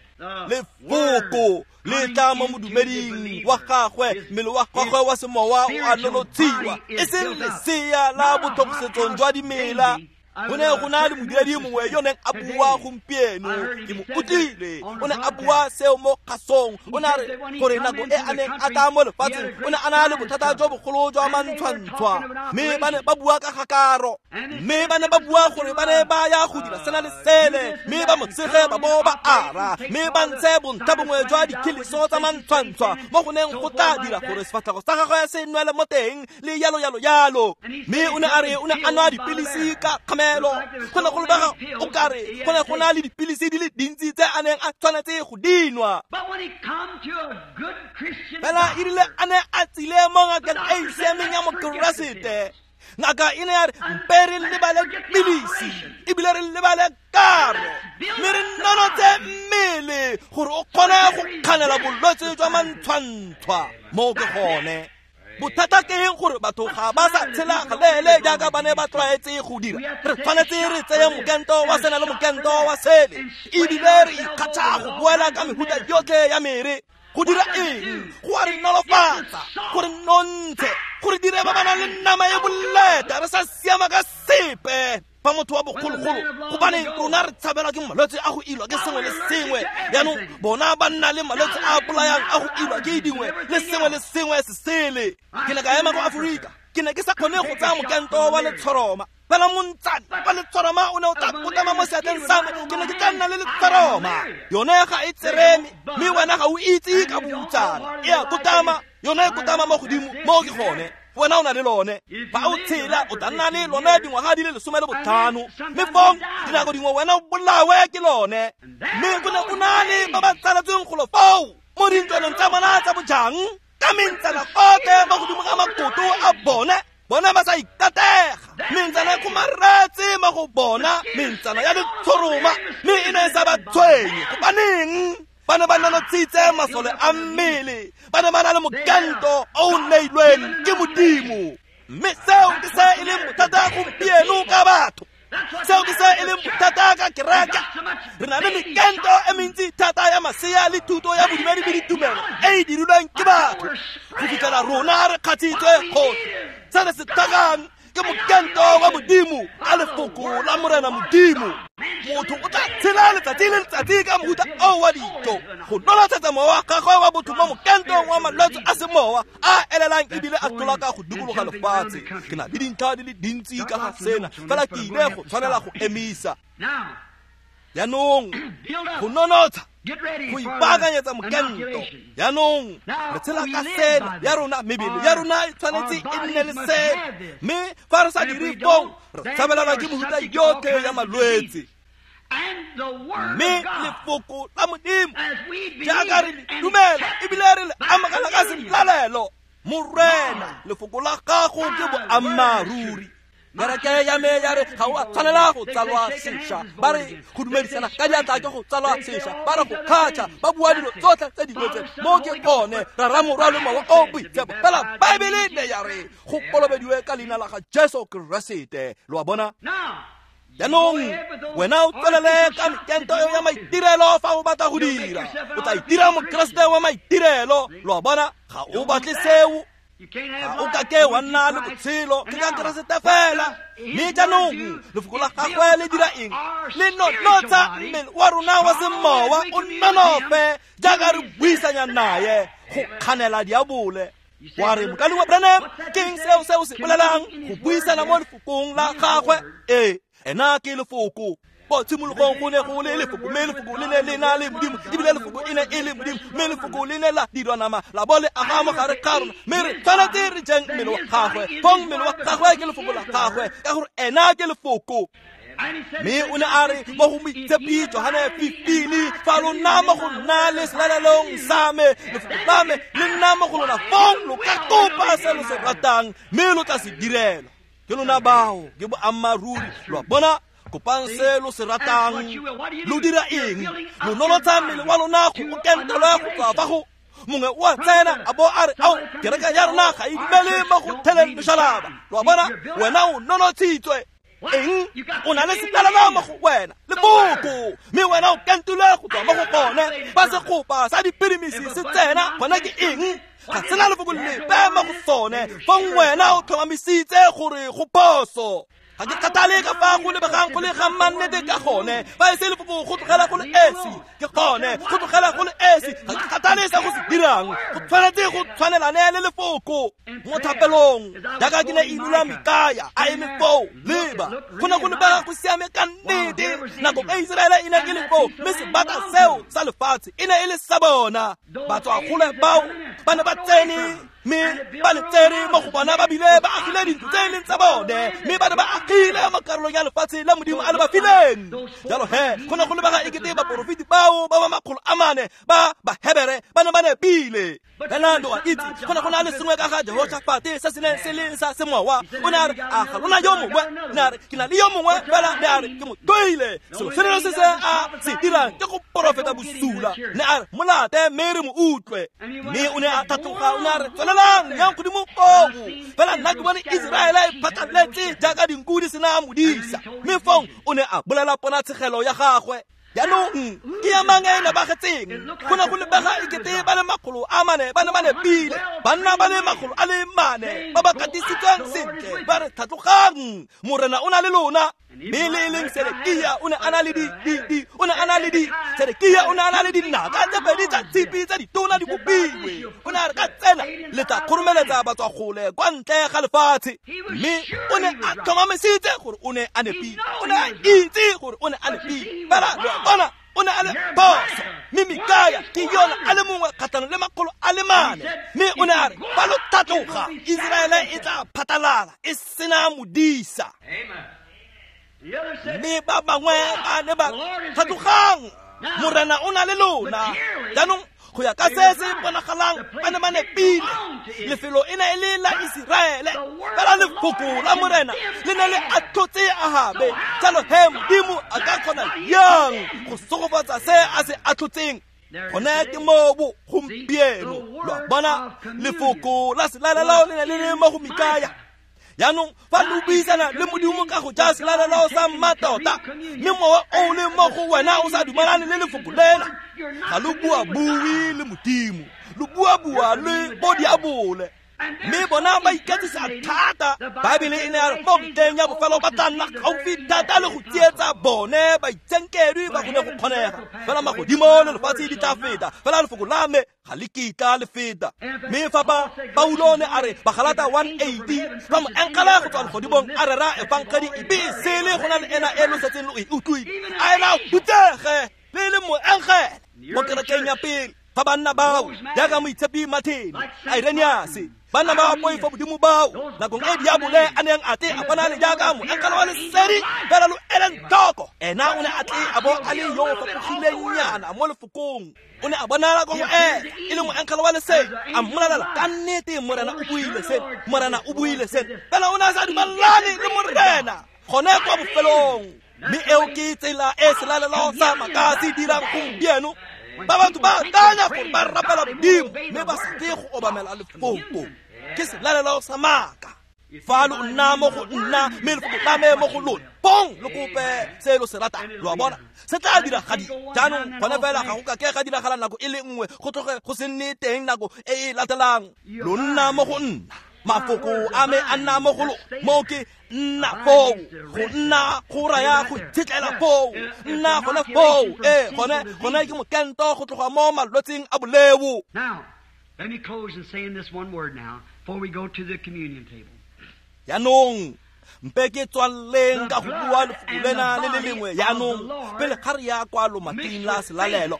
Lefoko le tla mo modumeding wa gagwe, mmele wa gagwe wa semowa o a nonotshiwa, e seng lesea la botlhogisetsong jwa dimela. Go ne go na le modiredi mongwe yo neng a bua gompieno, ke mo utlwile, o ne a bua seo mo kgasong. O ne a re gore nako e a neng a tla mo lefatsheng o ne a na le bothata jo bogolo jwa mantshwantshwa, mme ba ne ba bua ka gakaro, mme ba ne ba bua gore ba ne ba ya go dira sena le sele, mme ba mo tshege ba bo ba ara, mme ba ntshe bontlha bongwe jwa dikhiliso tsa mantshwantshwa mo go neng go tla dira gore sefatlhego sa gagwe se nwele mo teng le yalo yalo yalo. Mme o ne a re o ne a nwa dipilisi ka kgamelo, go ne go lebega o kare go ne go na le dipilisi di le dintsi tse a neng a tshwanetse go dinwa. Fela e rile a ne a tsile mo ngakeng e e siameng ya Mokeresete, ngaka e ne ya re mpe re lebale pilisi ebile re lebale karo, mme re nonotse mmele gore o kgone go kganela bolwetse jwa mantshwantshwa. Mo ke gone bothata ke eng gore batho ga ba sa tshela galeele jaaka ba ne ba tlwaetse go dira. Re tshwanetse re tseye mokento wa sena le mokento wa sele, ebile re ikgatšha go boela ka mehuta yotlhe ya mere. Go dira eng? Go a re nolofatsa, gore nontshe, gore dire ba ba nang le nama e boleta, re sa siama ka sepe. Fa motho wa bogologolo, gobane rona re tshabelwa ke malwetse a go ilwa ke sengwe le sengwe, jaanong bona ba nna le malwetse a bolayang a go ilwa ke dingwe le sengwe le sengwe se sele. Ke ne ka ema ko Aforika, ke ne ke sa kgone go tsaya mokento wa letshoroma, fela montsane wa letshoroma o ne o tla kotama mo seatleng sa me, ke ne ke tla nna le letshoroma. Yone ga e tsereme, mme wena ga o itse ka boutsana, e a kotama, yone e kotama mo godimo, mo ke gone. Wena o na le lone, fa o tshela o tla nna le lone dingwaga di le 15, mme fong dinako dingwe wena o bolawe ke lone. Mme go ne go na le ba ba tsaletsweng golo foo mo dintlwaneng tsa bona tsa bojang, ka mentsana gote mo godimo ga makoto a bone, bona ba sa ikatega, mentsana e kgomaretse mo go bona, mentsana ya letshoroma, mme e ne e sa ba tshwenye. Gobaneng? Ba ne ba nonotshitse masole a mmele, ba ne ba na le mokento o o neilweng ke Modimo. Mme seo ke se e leng bothata gompieno ka batho, seo ke se e leng bothata ka kereke. Re na le mekento e mentsi thata ya masea le thuto ya bodumedi le ditumelo e e dirilweng ke batho, go fitlhela rona re kgatshitswe kgosi. Se re se tlhokang ke mokento wa Modimo ka lefoko la Morena Modimo. Motho o tla tshela letsatsi le letsatsi ka mohuta o wa dijo, go nolotshetsa mowa wa gagwe wa botho mo mokentong wa malwetse a semowa a elelang ebile a tlola ka go dikologa lefatshe. Ke na le dintlha di le dintsi ka ga sena, fela ke ile go tshwanela go emisa. Jaanong go nonotsha, go ipaakanyetsa mokento. Jaanong re tshela ka sena ya rona, mebele ya rona e tshwanetse e nne le sena, mme fa re sa dire foo re tshabelelwa ke mehuta yotlhe ya malwetse. Mme lefoko la Modimo jaaka re le dumela ebile re le amogela ka selalelo, Morena, lefoko la gago ke boammaaruri. Kereke ya me ya re ga o a tshwanela go tsalwa sešwa, ba re go dumedisana ka diatla ke go tsalwa sešwa, ba re go kgatšha, ba bua dilo tsotlhe tse dingwe tse mo ke gone Rara Morwa le Mowa o Boitshepo. Fela Baebele ne ya re go kolobediwe ka leina la ga Jesu Keresete. Lo a bona? Jaanong wena o tswelele ka mekento eo ya maitirelo fa o batla go dira, o tla itira Mokeresete wa maitirelo. Lo a bona? Ga o batle seo, ga o kake wa nna le botshelo ke ka Keresete fela. Mme jaanong lefoko la gagwe le dira eng? Le nonotsha mmele wa rona wa semowa o nonofe jaaka re buisanya naye go kganela diabole. Wa re, Mokaulengwe Branham, ke eng seo se o se bolelang go buisana mo lefokong la gagwe? Ee, ena ke lefoko. Ko tshimologong go ne go le lefoko, mme lefoko le ne le na le Modimo, ebile lefoko e ne e le Modimo, mme lefoko le ne la dirwa nama la bo le aga mo gare ga rona, mme re tshwanetse re jeng mmele wa gagwe. Fong mmele wa gagwe ke lefoko la gagwe, ka gore ena ke lefoko. Mme o ne a re mo go Moitshepi Johane 15, fa lo nna mo go nna le selalelong sa me, lefoko la me le nna mo go lona, fong lo ka kopa se lo se ratang, mme lo tla se direlwa. Ke lona bao, ke boammaaruri. Lo a bona? Kopang se lo se ratang. Lo dira eng? Lo nonotsha mmele wa lona go o kentelwa go tswa fa go mongwe o a tsena a bo a re, ao, kereke ya rona ga e dumele mo go theleng loshalaba. Lo a bona? Wena o nonotshitswe. Eng? O na le setalana mo go wena, lefoko, mme wena o kentilwe go tswa mo go gone. Fa segopa sa dipirimisi se tsena, gona ke eng? Ga sena lefoko lepe mo go sone. Fong wena o tlhomamisitse gore go phoso. Ga ke kgathale ka fa go lebegang go le ga mannete ka gone, fa e se lefoko go tlogela go le esi, ke gone go tlogela go le esi. Ga ke kgathale se go se dirang, go tshwanetse go tshwanelane le lefoko. Mo thapelong jaaka ke ne e dula Mikaya a eme foo, leba, go ne go lebega go siame ka nnete. Nako e Iseraele e ne e le foo, mme sebaka seo sa lefatshe e ne e le sa bona. Batswagole bao ba ne ba tsene, mme ba le tsere mo go bona, ba bile ba agile dintlo tse e leng tsa bone, mme ba ne ba agile mo karolong ya lefatshe la Modimo a le ba fileng. Jalo he, go ne go lebega ekete baporofeti bao ba ba 400 ba Bahebere ba ne ba nepile. Fela lo a itse, go ne go na le sengwe ka ga Jehoshafate se se neng se le sa semowa. O ne a re, a ga lona yo mongwe? Ne a re, ke na le yo mongwe, fela ne a re, ke mo toile. Selo se le se se a se dirang ke go porofeta bosula. Ne a re, molate mme re mo utlwe. Mme o ne a tlhatloga, o ne a re, tswelelang yang godimo koo. Fela nna ke bone Iseraele e phatlaletse jaaka dinku di sena modisa. Mme fong o ne a bolela ponatshegelo ya gagwe. Jaanong ke ya mang e nepagetseng? Go ne go lebega ekete ba le 400 ba ne ba nepile, banna ba le 400 ba ba katisitsweng sentle, ba re tlhatlogang, Morena o na le lona. Mme le e leng Sedekia o ne a na le o ne a na le di Sedekia o ne a na le dinaka tse pedi tsa tshipi tse ditona di kopilwe. O ne a re ka tsena le tla kgoromeletsa batswagole kwa ntle ga lefatshe. Mme o ne a tlhomamisitse gore o ne a nepile, o ne a itse gore o ne a nepile. Fela lo a bona, o ne a le phoso. Mme Mikaya ke yona a le mongwe kgatlhanong le 400. Mme o ne a re, fa lo tlhatloga, Iseraele e tla phatlalala e sena modisa. Mme ba bangwe ba ne ba tlhatlogang, Morena o na le lona. Jaanong go ya ka se se bonagalang ba ne ba nepile. Lefelo e ne e le la Iseraele, fela lefoko la Morena le ne le atlhotse Ahabe. Jalo he Modimo a ka kgona yang go sogofatsa se a se atlhotseng? Gone ke mo bo gompieno. Lo a bona, lefoko la selalelo le ne le le mo go Mikaya. Jaanong fa lo buisana le Modimo ka go ja selalelo sa mmatota, mme mowa o le mo go wena o sa dumalane le lefoko lena, ga lo bua-bue le Modimo, lo bua-bua le bo diabole. Mme bona ba iketsisa thata. Baebele e ne ya re mo metlheng ya bofelo ba tla nna gaufi thata le go tsietsa bone baitsenkedwi ba go ne go kgonega. Fela magodimo le lefatshe di tla feta, fela lefoko la me ga le kitla le feta. Mme fa ba Paulo ne a re Bagalata 1:80, fa moengele go tswa legodimong a rera efangedi e be e sele go na le ena e lo setseng lo e utlwile, a ena hutsege le le moengele mo kerekeng ya pele. Fa banna bao jaaka Moitshepi Martin, Irenaeus, banna ba poifo modimo bao nakong e diabole a neng a tle a bona le jaaka moengele wa lesedi, fela lo eleng tlhoko, ena o ne a tle a bo a le yo o fapogileng nyana mo lefokong. O ne a bonala ko go ena e le moengele wa lesedi, a mmolelela ka nnete, Morena o buile se, Morena o buile se, fela o ne a sa dumelane le Morena gone kwa bofelong. Mme eo ke tsela e selalelo sa maaka se dirang gompieno. Ba batho ba akanya gore ba rapela Modimo, mme ba sa tle go obamela lefoko. Ke selalelo sa maaka. Fa lo nna mo go nna, mme lefoko la me mo go lona, bong lo kope se lo se ratang. Lo a bona, se tla diragadiwa. Jaanong gone fela ga go ka ke ga diragala nako e le nngwe, go tloge go se nne teng nako e e latelang. Lo nna mo go nna, mafoko a me a nna mo go lona. Moo ke nna foo, go nna go raya go itshetlela foo, nna gone foo. Ee, gone ke mokento go tloga mo malwetseng a boleo. Now, let me close in saying this one word now before we go to the communion table. Jaanong mpe ke tswaleng ka go bua lefoko lena le le lengwe jaanong, pele ga re ya kwa lomating la selalelo.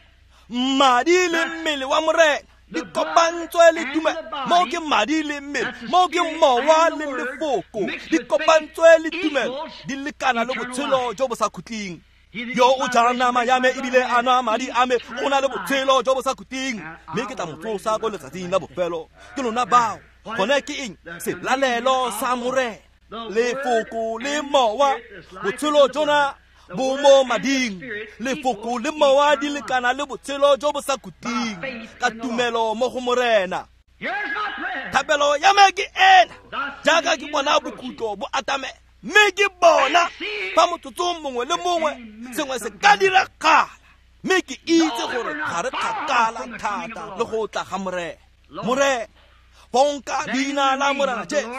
Madi le mmele wa Morena di kopantswe le tumelo. Moo ke madi le mmele, moo ke mowa le lefoko, di kopantswe le tumelo, di lekana le botshelo jo bo sa khutleng. Yo o jang nama ya me ebile a nwa madi a me o na le botshelo jo bo sa khutleng, mme ke tla mo tsosa ko letsatsing la bofelo. Ke lona bao. Gone ke eng? Selalelo sa Morena, lefoko le mowa. Botshelo jona bo mo mading. Lefoko le mowa di lekana le botshelo jo bo sa khutleng ka tumelo mo go Morena. Thapelo ya me ke ena, jaaka ke bona bokhutlo bo atamela, mme ke bona fa motsotsong mongwe le mongwe sengwe se ka diragala, mme ke itse gore ga re kgakala thata le go tla ga Morena. Morena, bonka leina la Morena Jesu,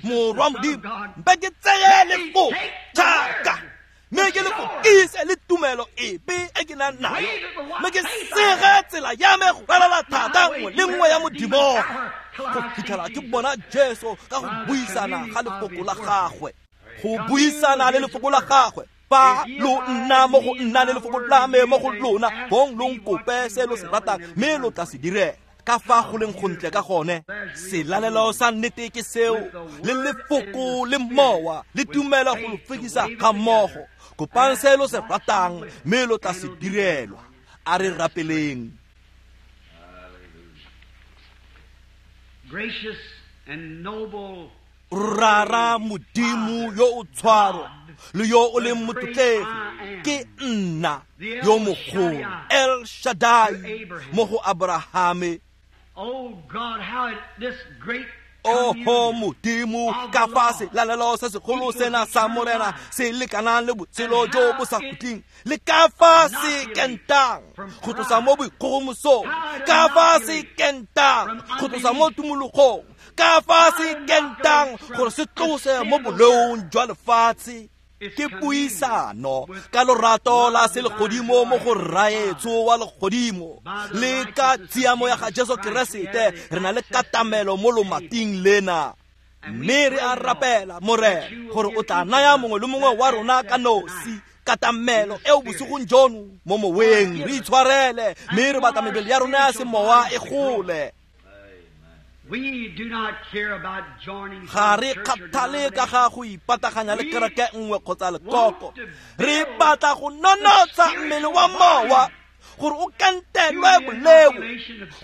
Morwa Modimo, mpe ke tseye lefoko jaaka, mme ke lefokise le tumelo epe e ke nang nayo, mme ke sege tsela ya me go ralala thata nngwe le nngwe ya Modimo, go fitlhela ke bona Jesu ka go buisana ga lefoko la gagwe. Go buisana le lefoko la gagwe. Fa lo nna mo go nna le lefoko la me mo go lona, bong lo nkope se lo se ratang, mme lo tla se direla. Ka fa go leng gontle ka gone. Selalelo sa nnete ke seo, le lefoko le mowa le tumelo go lo fekisa ga mmogo. Kopang se lo se ratang, mme lo tla se direlwa. A re rapeleng. Gracious and noble Rara Modimo yo o tshwaro le yo o leng motlotlegi, ke nna yo mogolo, El Shaddai mo go Abrahame. Oh God, how this great Oho Modimo, ka fa selalelo se segolo sena sa Morena se lekanang le botshelo jo bo sa khutleng, le ka fa se kentang go tlosa mo boikgogomosong, ka fa se kentang go tlosa mo tumologong, ka fa se kentang gore se tlose mo boleong jwa lefatshe. Ke puisano ka lorato la selegodimo mo go Rraetsho wa legodimo, le ka tshiamo ya ga Jesu Keresete re na le katamelo mo lomating lena. Mme re a rapela, Morena, gore o tla naya mongwe le mongwe wa rona ka nosi katamelo eo bosigong jono mo moweng. Re itshwarele, mme re batla mebele ya rona ya semowa e gole. We do not care about joining Ga re kgathale ka ga go ipataganya le kereke nngwe kgotsa lekoko. Re batla go nonotsha mmele wa mowa gore o kantelwe boleo,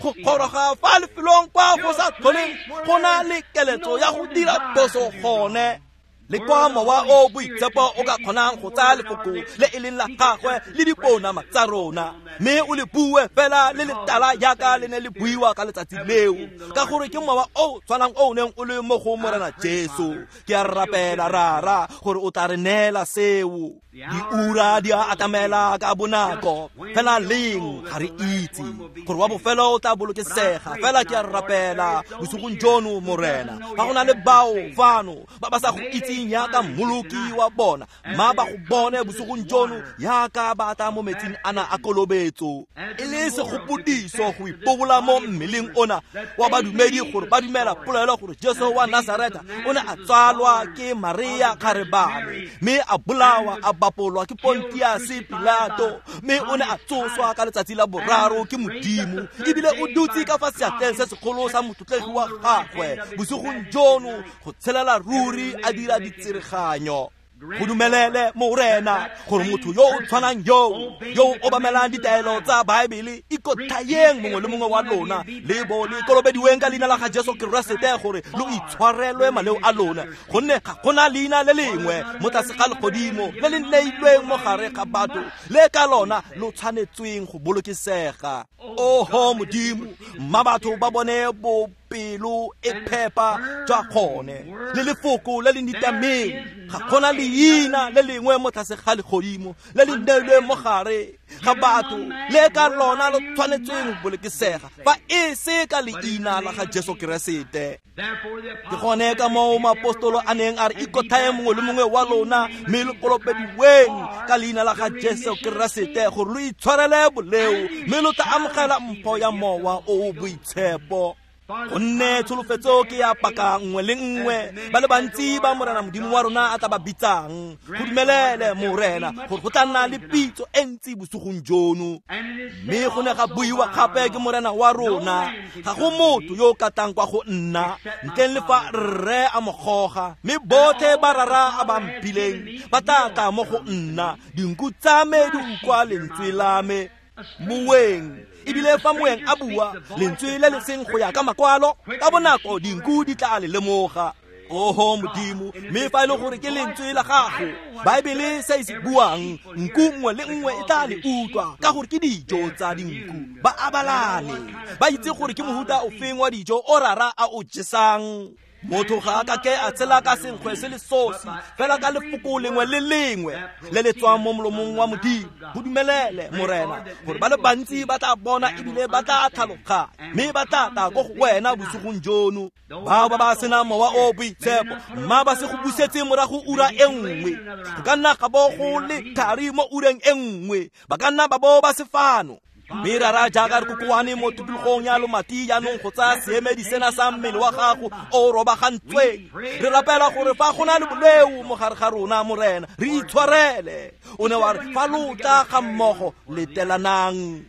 go goroga fa lefelong kwa go sa tlholeng go na le keletso ya go dira phoso gone, le kwa mowa o boitshepo o ka kgonang go tsaya lefoko le e leng la gagwe le dipounama tsa rona, mme o le bue fela le letala jaaka le ne le buiwa ka letsatsi leo, ka gore ke mowa o tshwanang o neng o le mo go Morena Jesu. Ke a rapela, Rara, gore o tla re neela seo. Diura di a atamela ka bonako, fela leng ga re itse gore wa bofelo o tla bolokesega. Fela ke a rapela bosigong jono, Morena, fa go na le bao fano ba ba sa go itseng metsing yaka mmoloki wa bona mma ba go bone bosigong jono yaka ba tla mo metsing ana a kolobetso e le segopodiso go ipobola mo mmeleng ona wa badumedi gore ba dumela polelo gore Jesu wa Nazareta o ne a tsalwa ke Maria kgarebane mme a bolawa a bapolwa ke Pontius Pilato mme o ne a tsoswa ka letsatsi la boraro ke Modimo ebile o dutse ka fa seatleng se segolo sa motlotlegi wa gagwe bosigong jono go tshelela ruri a dira ditsereganyo. Go dumelele Morena gore motho yo o tshwanang yo o obamelang ditaelo tsa Baebele ikothayeng mongwe le mongwe wa lona le bo le kolobediweng ka leina la ga Jesu Keresete gore lo itshwarelwe maleo a lona gonne ga gona leina le lengwe mo tlase ga legodimo le le neilweng mo gare ga batho le ka lona lo tshwanetsweng go bolokesega. Oho Modimo, mma batho ba bone bopelo e phepa jwa gone le lefoko le le nitameng. Ga gona leina le lengwe mo tlase ga legodimo le le neilweng mo gare ga batho le ka lona lo tshwanetsweng go bolokesega fa e se ka leina la ga Jesu Keresete. Ke gone ka moo maapostolo a neng a re ikothaye mongwe le mongwe wa lona mme lo kolobediweng ka leina la ga Jesu Keresete gore lo itshwarele boleo mme lo tla amogela mpho ya Mowa o o Boitshepo. Gonne tsholofetso ke ya paka nngwe le nngwe ba le bantsi ba Morena Modimo wa rona a tla ba bitsang. Go dumelele Morena gore go tla nna le pitso e ntsi bosigong jono. Mme go ne ga buiwa gape ke Morena wa rona, ga go motho yo o ka tlang kwa go nna ntleng le fa rre a mo goga, mme botlhe ba rara a ba mphileng ba tla tla mo go nna. Dinku tsa me di utlwa lentswe la me. Moeng ebile fa moeng a bua lentswe le le seng go ya ka makwalo ka bonako dinku di tla le lemoga. Oho Modimo, mme fa e le gore ke lentswe la gago Baebele se e se buang, nku nngwe le nngwe e tla le utlwa ka gore ke dijo tsa dinku. Ba abalane, ba itse gore ke mohuta ofeng wa dijo o rara a o jesang. Motho ga a ka ke a tshela ka senkgwe se le sosi fela ka lefoko lengwe le lengwe le le tswang mo molomong wa Modimo. Go dumelele Morena gore ba le bantsi ba tla bona ebile ba tla tlhaloganya mme ba tla tla ko go wena bosigong jono. Bao ba ba senang Mowa o Boitshepo mma ba se go busetse morago ura e nngwe. Go ka nna ga bo go le thari mo ureng e nngwe, ba ka nna ba bo ba se fano. Mme rara jaaka re kokoane mo tikologong ya lomati jaanong go tsaya seemedi sena sa mmele wa gago o robagantsweng, re rapela gore fa go na le boleo mo gare ga rona Morena re itshwarele. O ne wa re fa lo tla ga mmogo letelanang.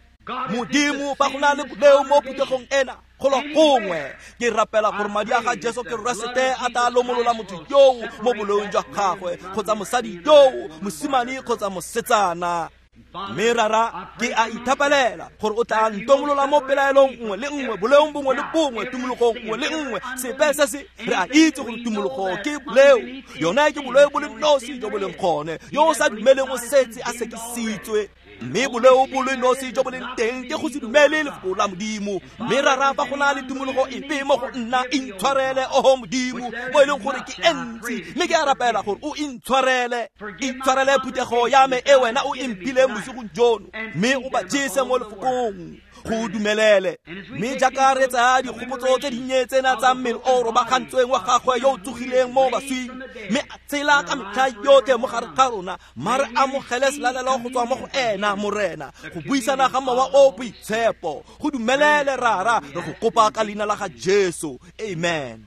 Modimo, fa go na le boleo mo phuthegong ena golo gongwe, ke rapela gore madi a ga Jesu Keresete a tla lomolola motho yoo mo boleong jwa gagwe kgotsa mosadi yoo, mosimane kgotsa mosetsana. Mme rara ke a ithapelela gore o tla ntomolola mo pelaelong nngwe le nngwe, boleong bongwe le bongwe, tumologong nngwe le nngwe, sepe se se re a itse gore tumologo ke boleo. Yona ke boleo bo le nosi jo bo leng gone, yo o sa dumeleng o setse a sekisitswe. Mme boleo bo le nosi jo bo leng teng ke go se dumele lefoko la Modimo. Mme rara fa go na le tumologo epe mo go nna, intshwarele oho Modimo mo e leng gore ke e ntsi, mme ke a rapela gore o intshwarele. Intshwarele phuthego ya me e wena o e mphileng bosigong jono, mme o ba jese mo lefokong. Go dumelele. Mme jaaka re tsaya dikgopotso tse dinnye tsena tsa mmele o robagantsweng wa gagwe yo o tsogileng mo baswing mme a tshela ka metlha yotlhe mo gare ga rona, mma re amogele selalelo go tswa mo go ena Morena, go buisana ga Mowa o Boitshepo. Go dumelele rara, re go kopa ka leina la ga Jesu. Amen.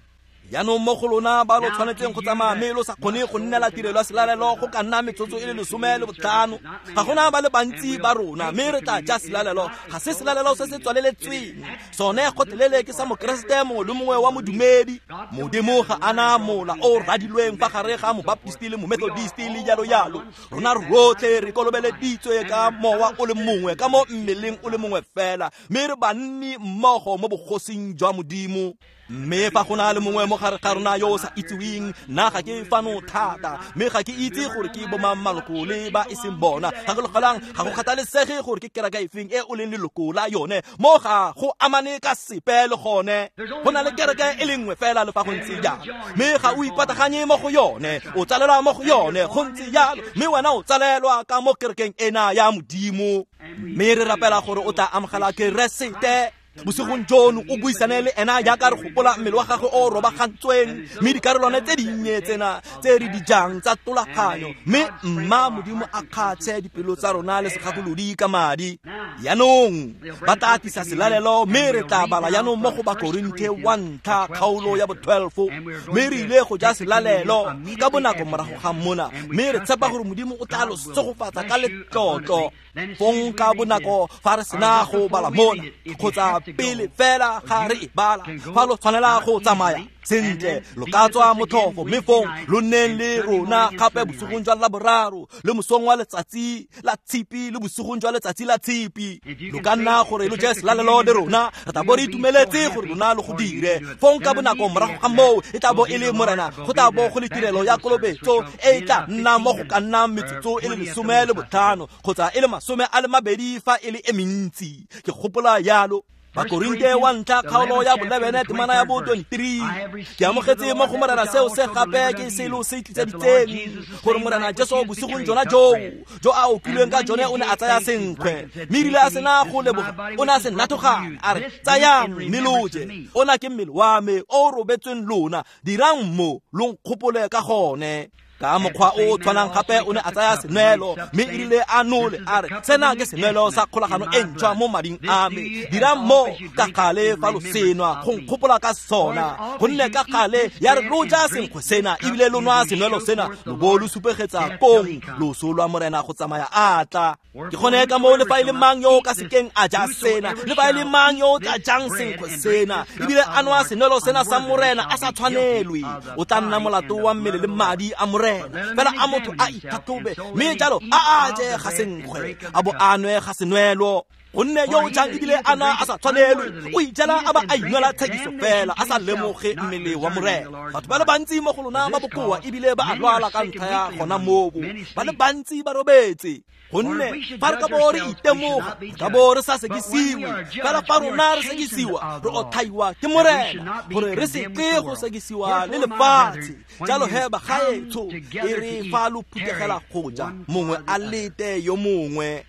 Jaanong mo go lona ba lo tshwanetseng go tsamaya mme lo sa kgone go nnela tirelo ya selalelo go ka nna metsotso e le 15, ga gona ba le bantsi ba rona mme re tla ja selalelo. Ga se selalelo se se tswaleletsweng, sone gotlhelele ke sa mokeresete mongwe le mongwe wa modumedi. Modimo ga ana mola o radilweng fa gare ga mobaptisti le momethodisti le jalo jalo. Rona rotlhe re kolobeleditswe ka mowa o le mongwe, ka mo mmeleng o le mongwe fela, mme re banni mmogo mo bogosing jwa Modimo. Mme fa go na le mongwe mo gare ga rona yo o sa itseweng, nna ga ke fano thata, mme ga ke itse gore ke bomang maloko le ba e seng bona. Gakologelang, ga go kgathalesege gore ke kereke efeng e o leng leloko la yone, mo ga go amane ka sepe le gone. Go na le kereke e le nngwe fela le fa go ntse jalo, mme ga o ipataganye mo go yone, o tsalelwa mo go yone, go ntse jalo, mme wena o tsalelwa ka mo kerekeng ena ya Modimo. Mme re rapela gore o tla amogela Keresete Bosigong jono o buisane le ena jaaka re gopola mmele wa gagwe o robagantsweng, mme dikarolwana tse dinnye tsena tse re di jang tsa tolaganyo, mme mma Modimo a kgatshe dipelo tsa rona le segakolodi ka madi. Jaanong ba tla tlisa selalelo, mme re tla bala jaanong mo go Bakorinthe wa ntlha kgaolo ya bo 12, mme re ile go ja selalelo ka bonako morago ga mona, mme re tshepa gore Modimo o tla lo segofatsa ka letlotlo. Fong ka bonako fa re sena go bala mona, kgotsa pele fela ga re e bala, fa lo tshwanela go tsamaya sentle, lo ka tswa motlhofo, mme fong lo nneng le rona gape bosigong jwa Laboraro le mosong wa letsatsi la Tshipi le bosigong jwa letsatsi la Tshipi. Lo ka nna gore lo je selalelo le rona, re tla bo re itumeletse gore lona lo go dire. Fong ka bonako morago ga moo e tla bo e le Morena, go tla bo go le tirelo ya kolobetso e e tla nna mo go ka nnang metsotso e le 15 kgotsa e le 20 fa e le e mentsi, ke gopola yalo. Bakorinthe wa ntlha kgaolo ya bo 11 temana ya bo 23. Ke amogetse mo go Morena seo se gape ke selo se tliseditseng, gore Morena Jesu bosigong jona joo jo a okilweng ka jone o ne a tsaya senkgwe, mme erile a sena go leboga o ne a se nathogana, a re, tsayang mme lo je, ona ke mmele wa me o robetsweng lona, dirang mo lo nkgopole ka gone. Ka mokgwa o tshwanang gape o ne a tsaya senwelo, mme erile a nole a re, sena ke senwelo sa kgolagano e ntšhwa mo mading a me, dirang mo ka gale fa lo senwa go nkgopola ka sona. Gonne ka gale ya re lo ja senkgwe sena ebile lo nwa senwelo sena, lo bo lo supegetsa kong loso lwa Morena go tsamaya a tla. Ke gone ka moo le fa e le mang yo o ka sekeng a ja sena, le fa e le mang yo o tla jang senkgwe sena ebile a nwa senwelo sena sa Morena a sa tshwanelwe, o tla nna molato wa mmele le madi a Morena. Fela a motho a itlhatlhobe, mme jalo a a je ga senkgwe a bo a nwe ga senwelo. Gonne yo o jang ebile a na a sa tshwanelwe, o ijela a ba a inwela tshekiso fela, a sa lemoge mmele wa Morena. Batho ba le bantsi mo go lona ba bokoa ebile ba a lwala ka ntlha ya gona moo, ba le bantsi ba robetse. Gonne fa re ka bo re itemoga, re ka bo re sa sekisiwe, fela fa rona re sekisiwa, re otlhaiwa ke Morena, gore re se tle go sekisiwa le lefatshe. Jalo he bagaetsho, e re fa lo phuthegela go ja, mongwe a lete yo mongwe.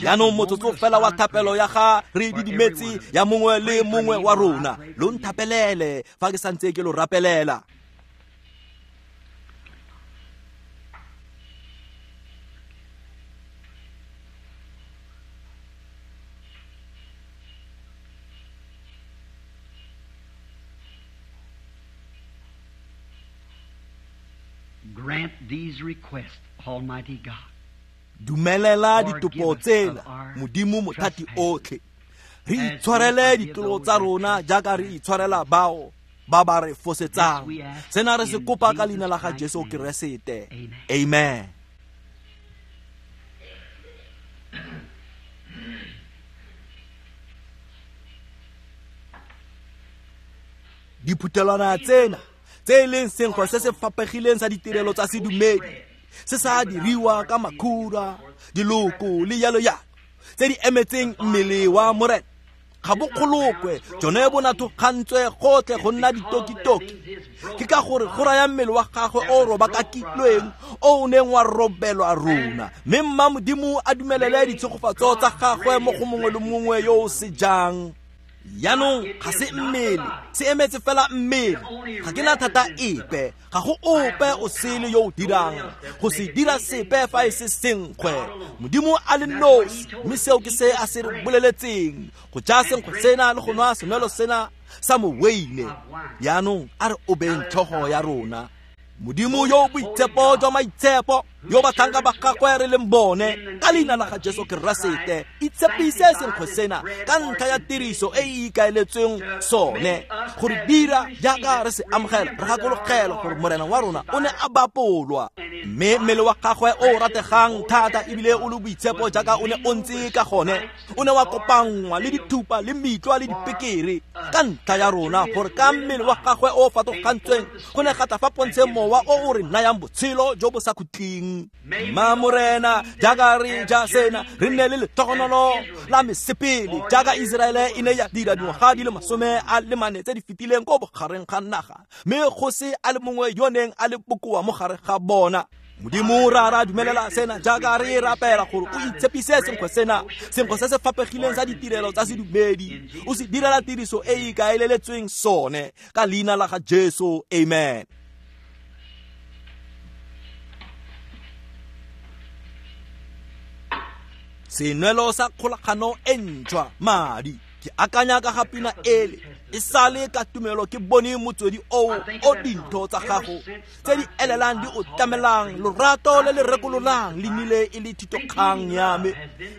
Jaanong motsotso fela wa thapelo ya ga re didimetse ya mongwe le mongwe wa rona, lo nthapelele fa ke santse ke lo rapelela. Grant these requests, Almighty God. Dumelela ditopo tsena, Modimo mothati otlhe. Re itshwarele ditlolo tsa rona jaaka re itshwarela bao ba ba re fosetsang. Sena re se kopa ka leina la ga Jesu Keresete. Amen. Diphuthelwana tsena tse e leng senkgwe se se fapegileng sa ditirelo tsa sedumedi, se sa diriwa ka makhura, diloko le yalo yalo, tse di emetseng mmele wa Morena, ga bo kgolokwe, jone bo nathogantswe gotlhe go nna ditokitoki. Ke ka gore go raya mmele wa gagwe o robakakilweng, o o neng wa robelwa rona. Mme mma Modimo a dumelele ditshegofatso tsa gagwe mo go mongwe le mongwe yo o se jang. Jaanong ga se mmele, se emetse fela mmele. Ga ke na thata epe, ga go ope o sele yo o dirang go se dira sepe fa e se senkgwe. Modimo a le nosi, mme seo ke se a se re boleletseng, go ja senkgwe sena le go nwa senwelo sena sa moweine. Jaanong a re obeng tlhogo ya rona. Modimo yo boitshepo jwa maitshepo, yo batlhanka ba gagwe re leng bone, ka leina la ga Jesu Keresete, itshepise senkgwe sena ka ntlha ya tiriso e e ikaeletsweng sone, gore dira jaaka re se amogela, re gakologelwa gore Morena wa rona o ne a bapolwa, mme mmele wa gagwe o rategang thata ebile o le boitshepo jaaka o ne o ntse ka gone, o ne wa kopanngwa le dithupa le metlwa le dipekere ka ntlha ya rona, gore ka mmele wa gagwe o fatogantsweng go ne ga tla fa pontsheng mowa o o re nayang botshelo jo bo sa khutleng. Ma Morena, jaaka re ja sena, re nne le letogonolo la mesepele jaaka Iseraele e ne ya dira dingwaga di le 24 tse di fetileng ko bogareng ga naga, mme go se a le mongwe yo neng a le bokoa mo gare ga bona. Modimo Rara dumelela sena jaaka re rapela gore o itshepise senkgwe sena, senkgwe se se fapegileng sa ditirelo tsa sedumedi, o se direla tiriso e e ikaeleletsweng sone, ka leina la ga Jesu, amen. Senwelo sa kgolagano e ntšhwa, madi. Ke akanya ka ga pina ele, e sale ka tumelo ke bone motswedi oo o dintho tsa gago tse di elelang di o tlamelang, lorato le le rekololang le nnile e le thitokgang ya me,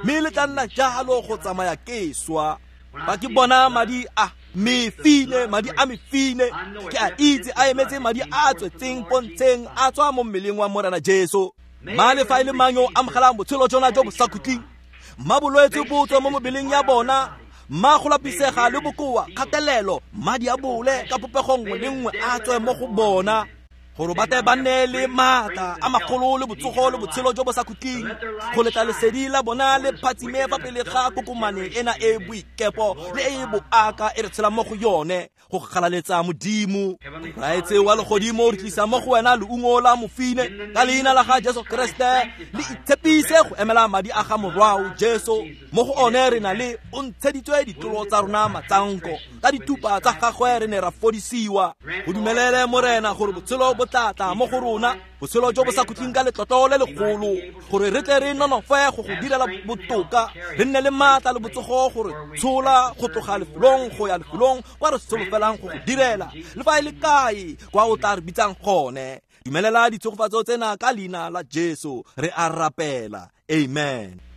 mme le tla nna jalo go tsamaya ke swa. Fa ke bona madi a mefine, madi a mefine, ke a itse a emetse madi a a tswetseng pontsheng a tswa mo mmeleng wa Morena Jesu. Mma le fa e le mang yo o amogelang botshelo jona jo bo sa khutleng, mma bolwetse bo tswe mo mebeleng ya bona, mma go lapisega le bokoa, kgatelelo, madi a bole ka popego nngwe le nngwe a tswe mo go bona, gore ba tle ba nne le maatla a magolo le botsogo le botshelo jo bo sa khutleng, go letla lesedi la bona le phatsime fa pele ga kokomane ena e boikepo le e boaka e re tshelang mo go yone, go galaletsa Modimo. Raetse wa legodimo, re tlisa mo go wena leungo la mofine ka leina la ga Jesu Kriste, le itshepise go emela madi a ga morwao Jesu. Mo go one re na le o ntsheditswe ditlolo tsa rona matsanko, ka dithupa tsa gagwe re ne ra fodisiwa. Go dumelele Morena gore botshelo bo tla tla mo go rona, botshelo jo bo sa khutleng ka letlotlo le legolo, gore re tle re nonofe go go direla botoka, re nne le maatla le botsogo gore tshola go tloga lefelong go ya lefelong kwa re solofelang go go direla, le fa e le kae kwa o tla re bitsang gone. Dumelela ditshegofatso tsena ka leina la Jesu re a rapela, amen.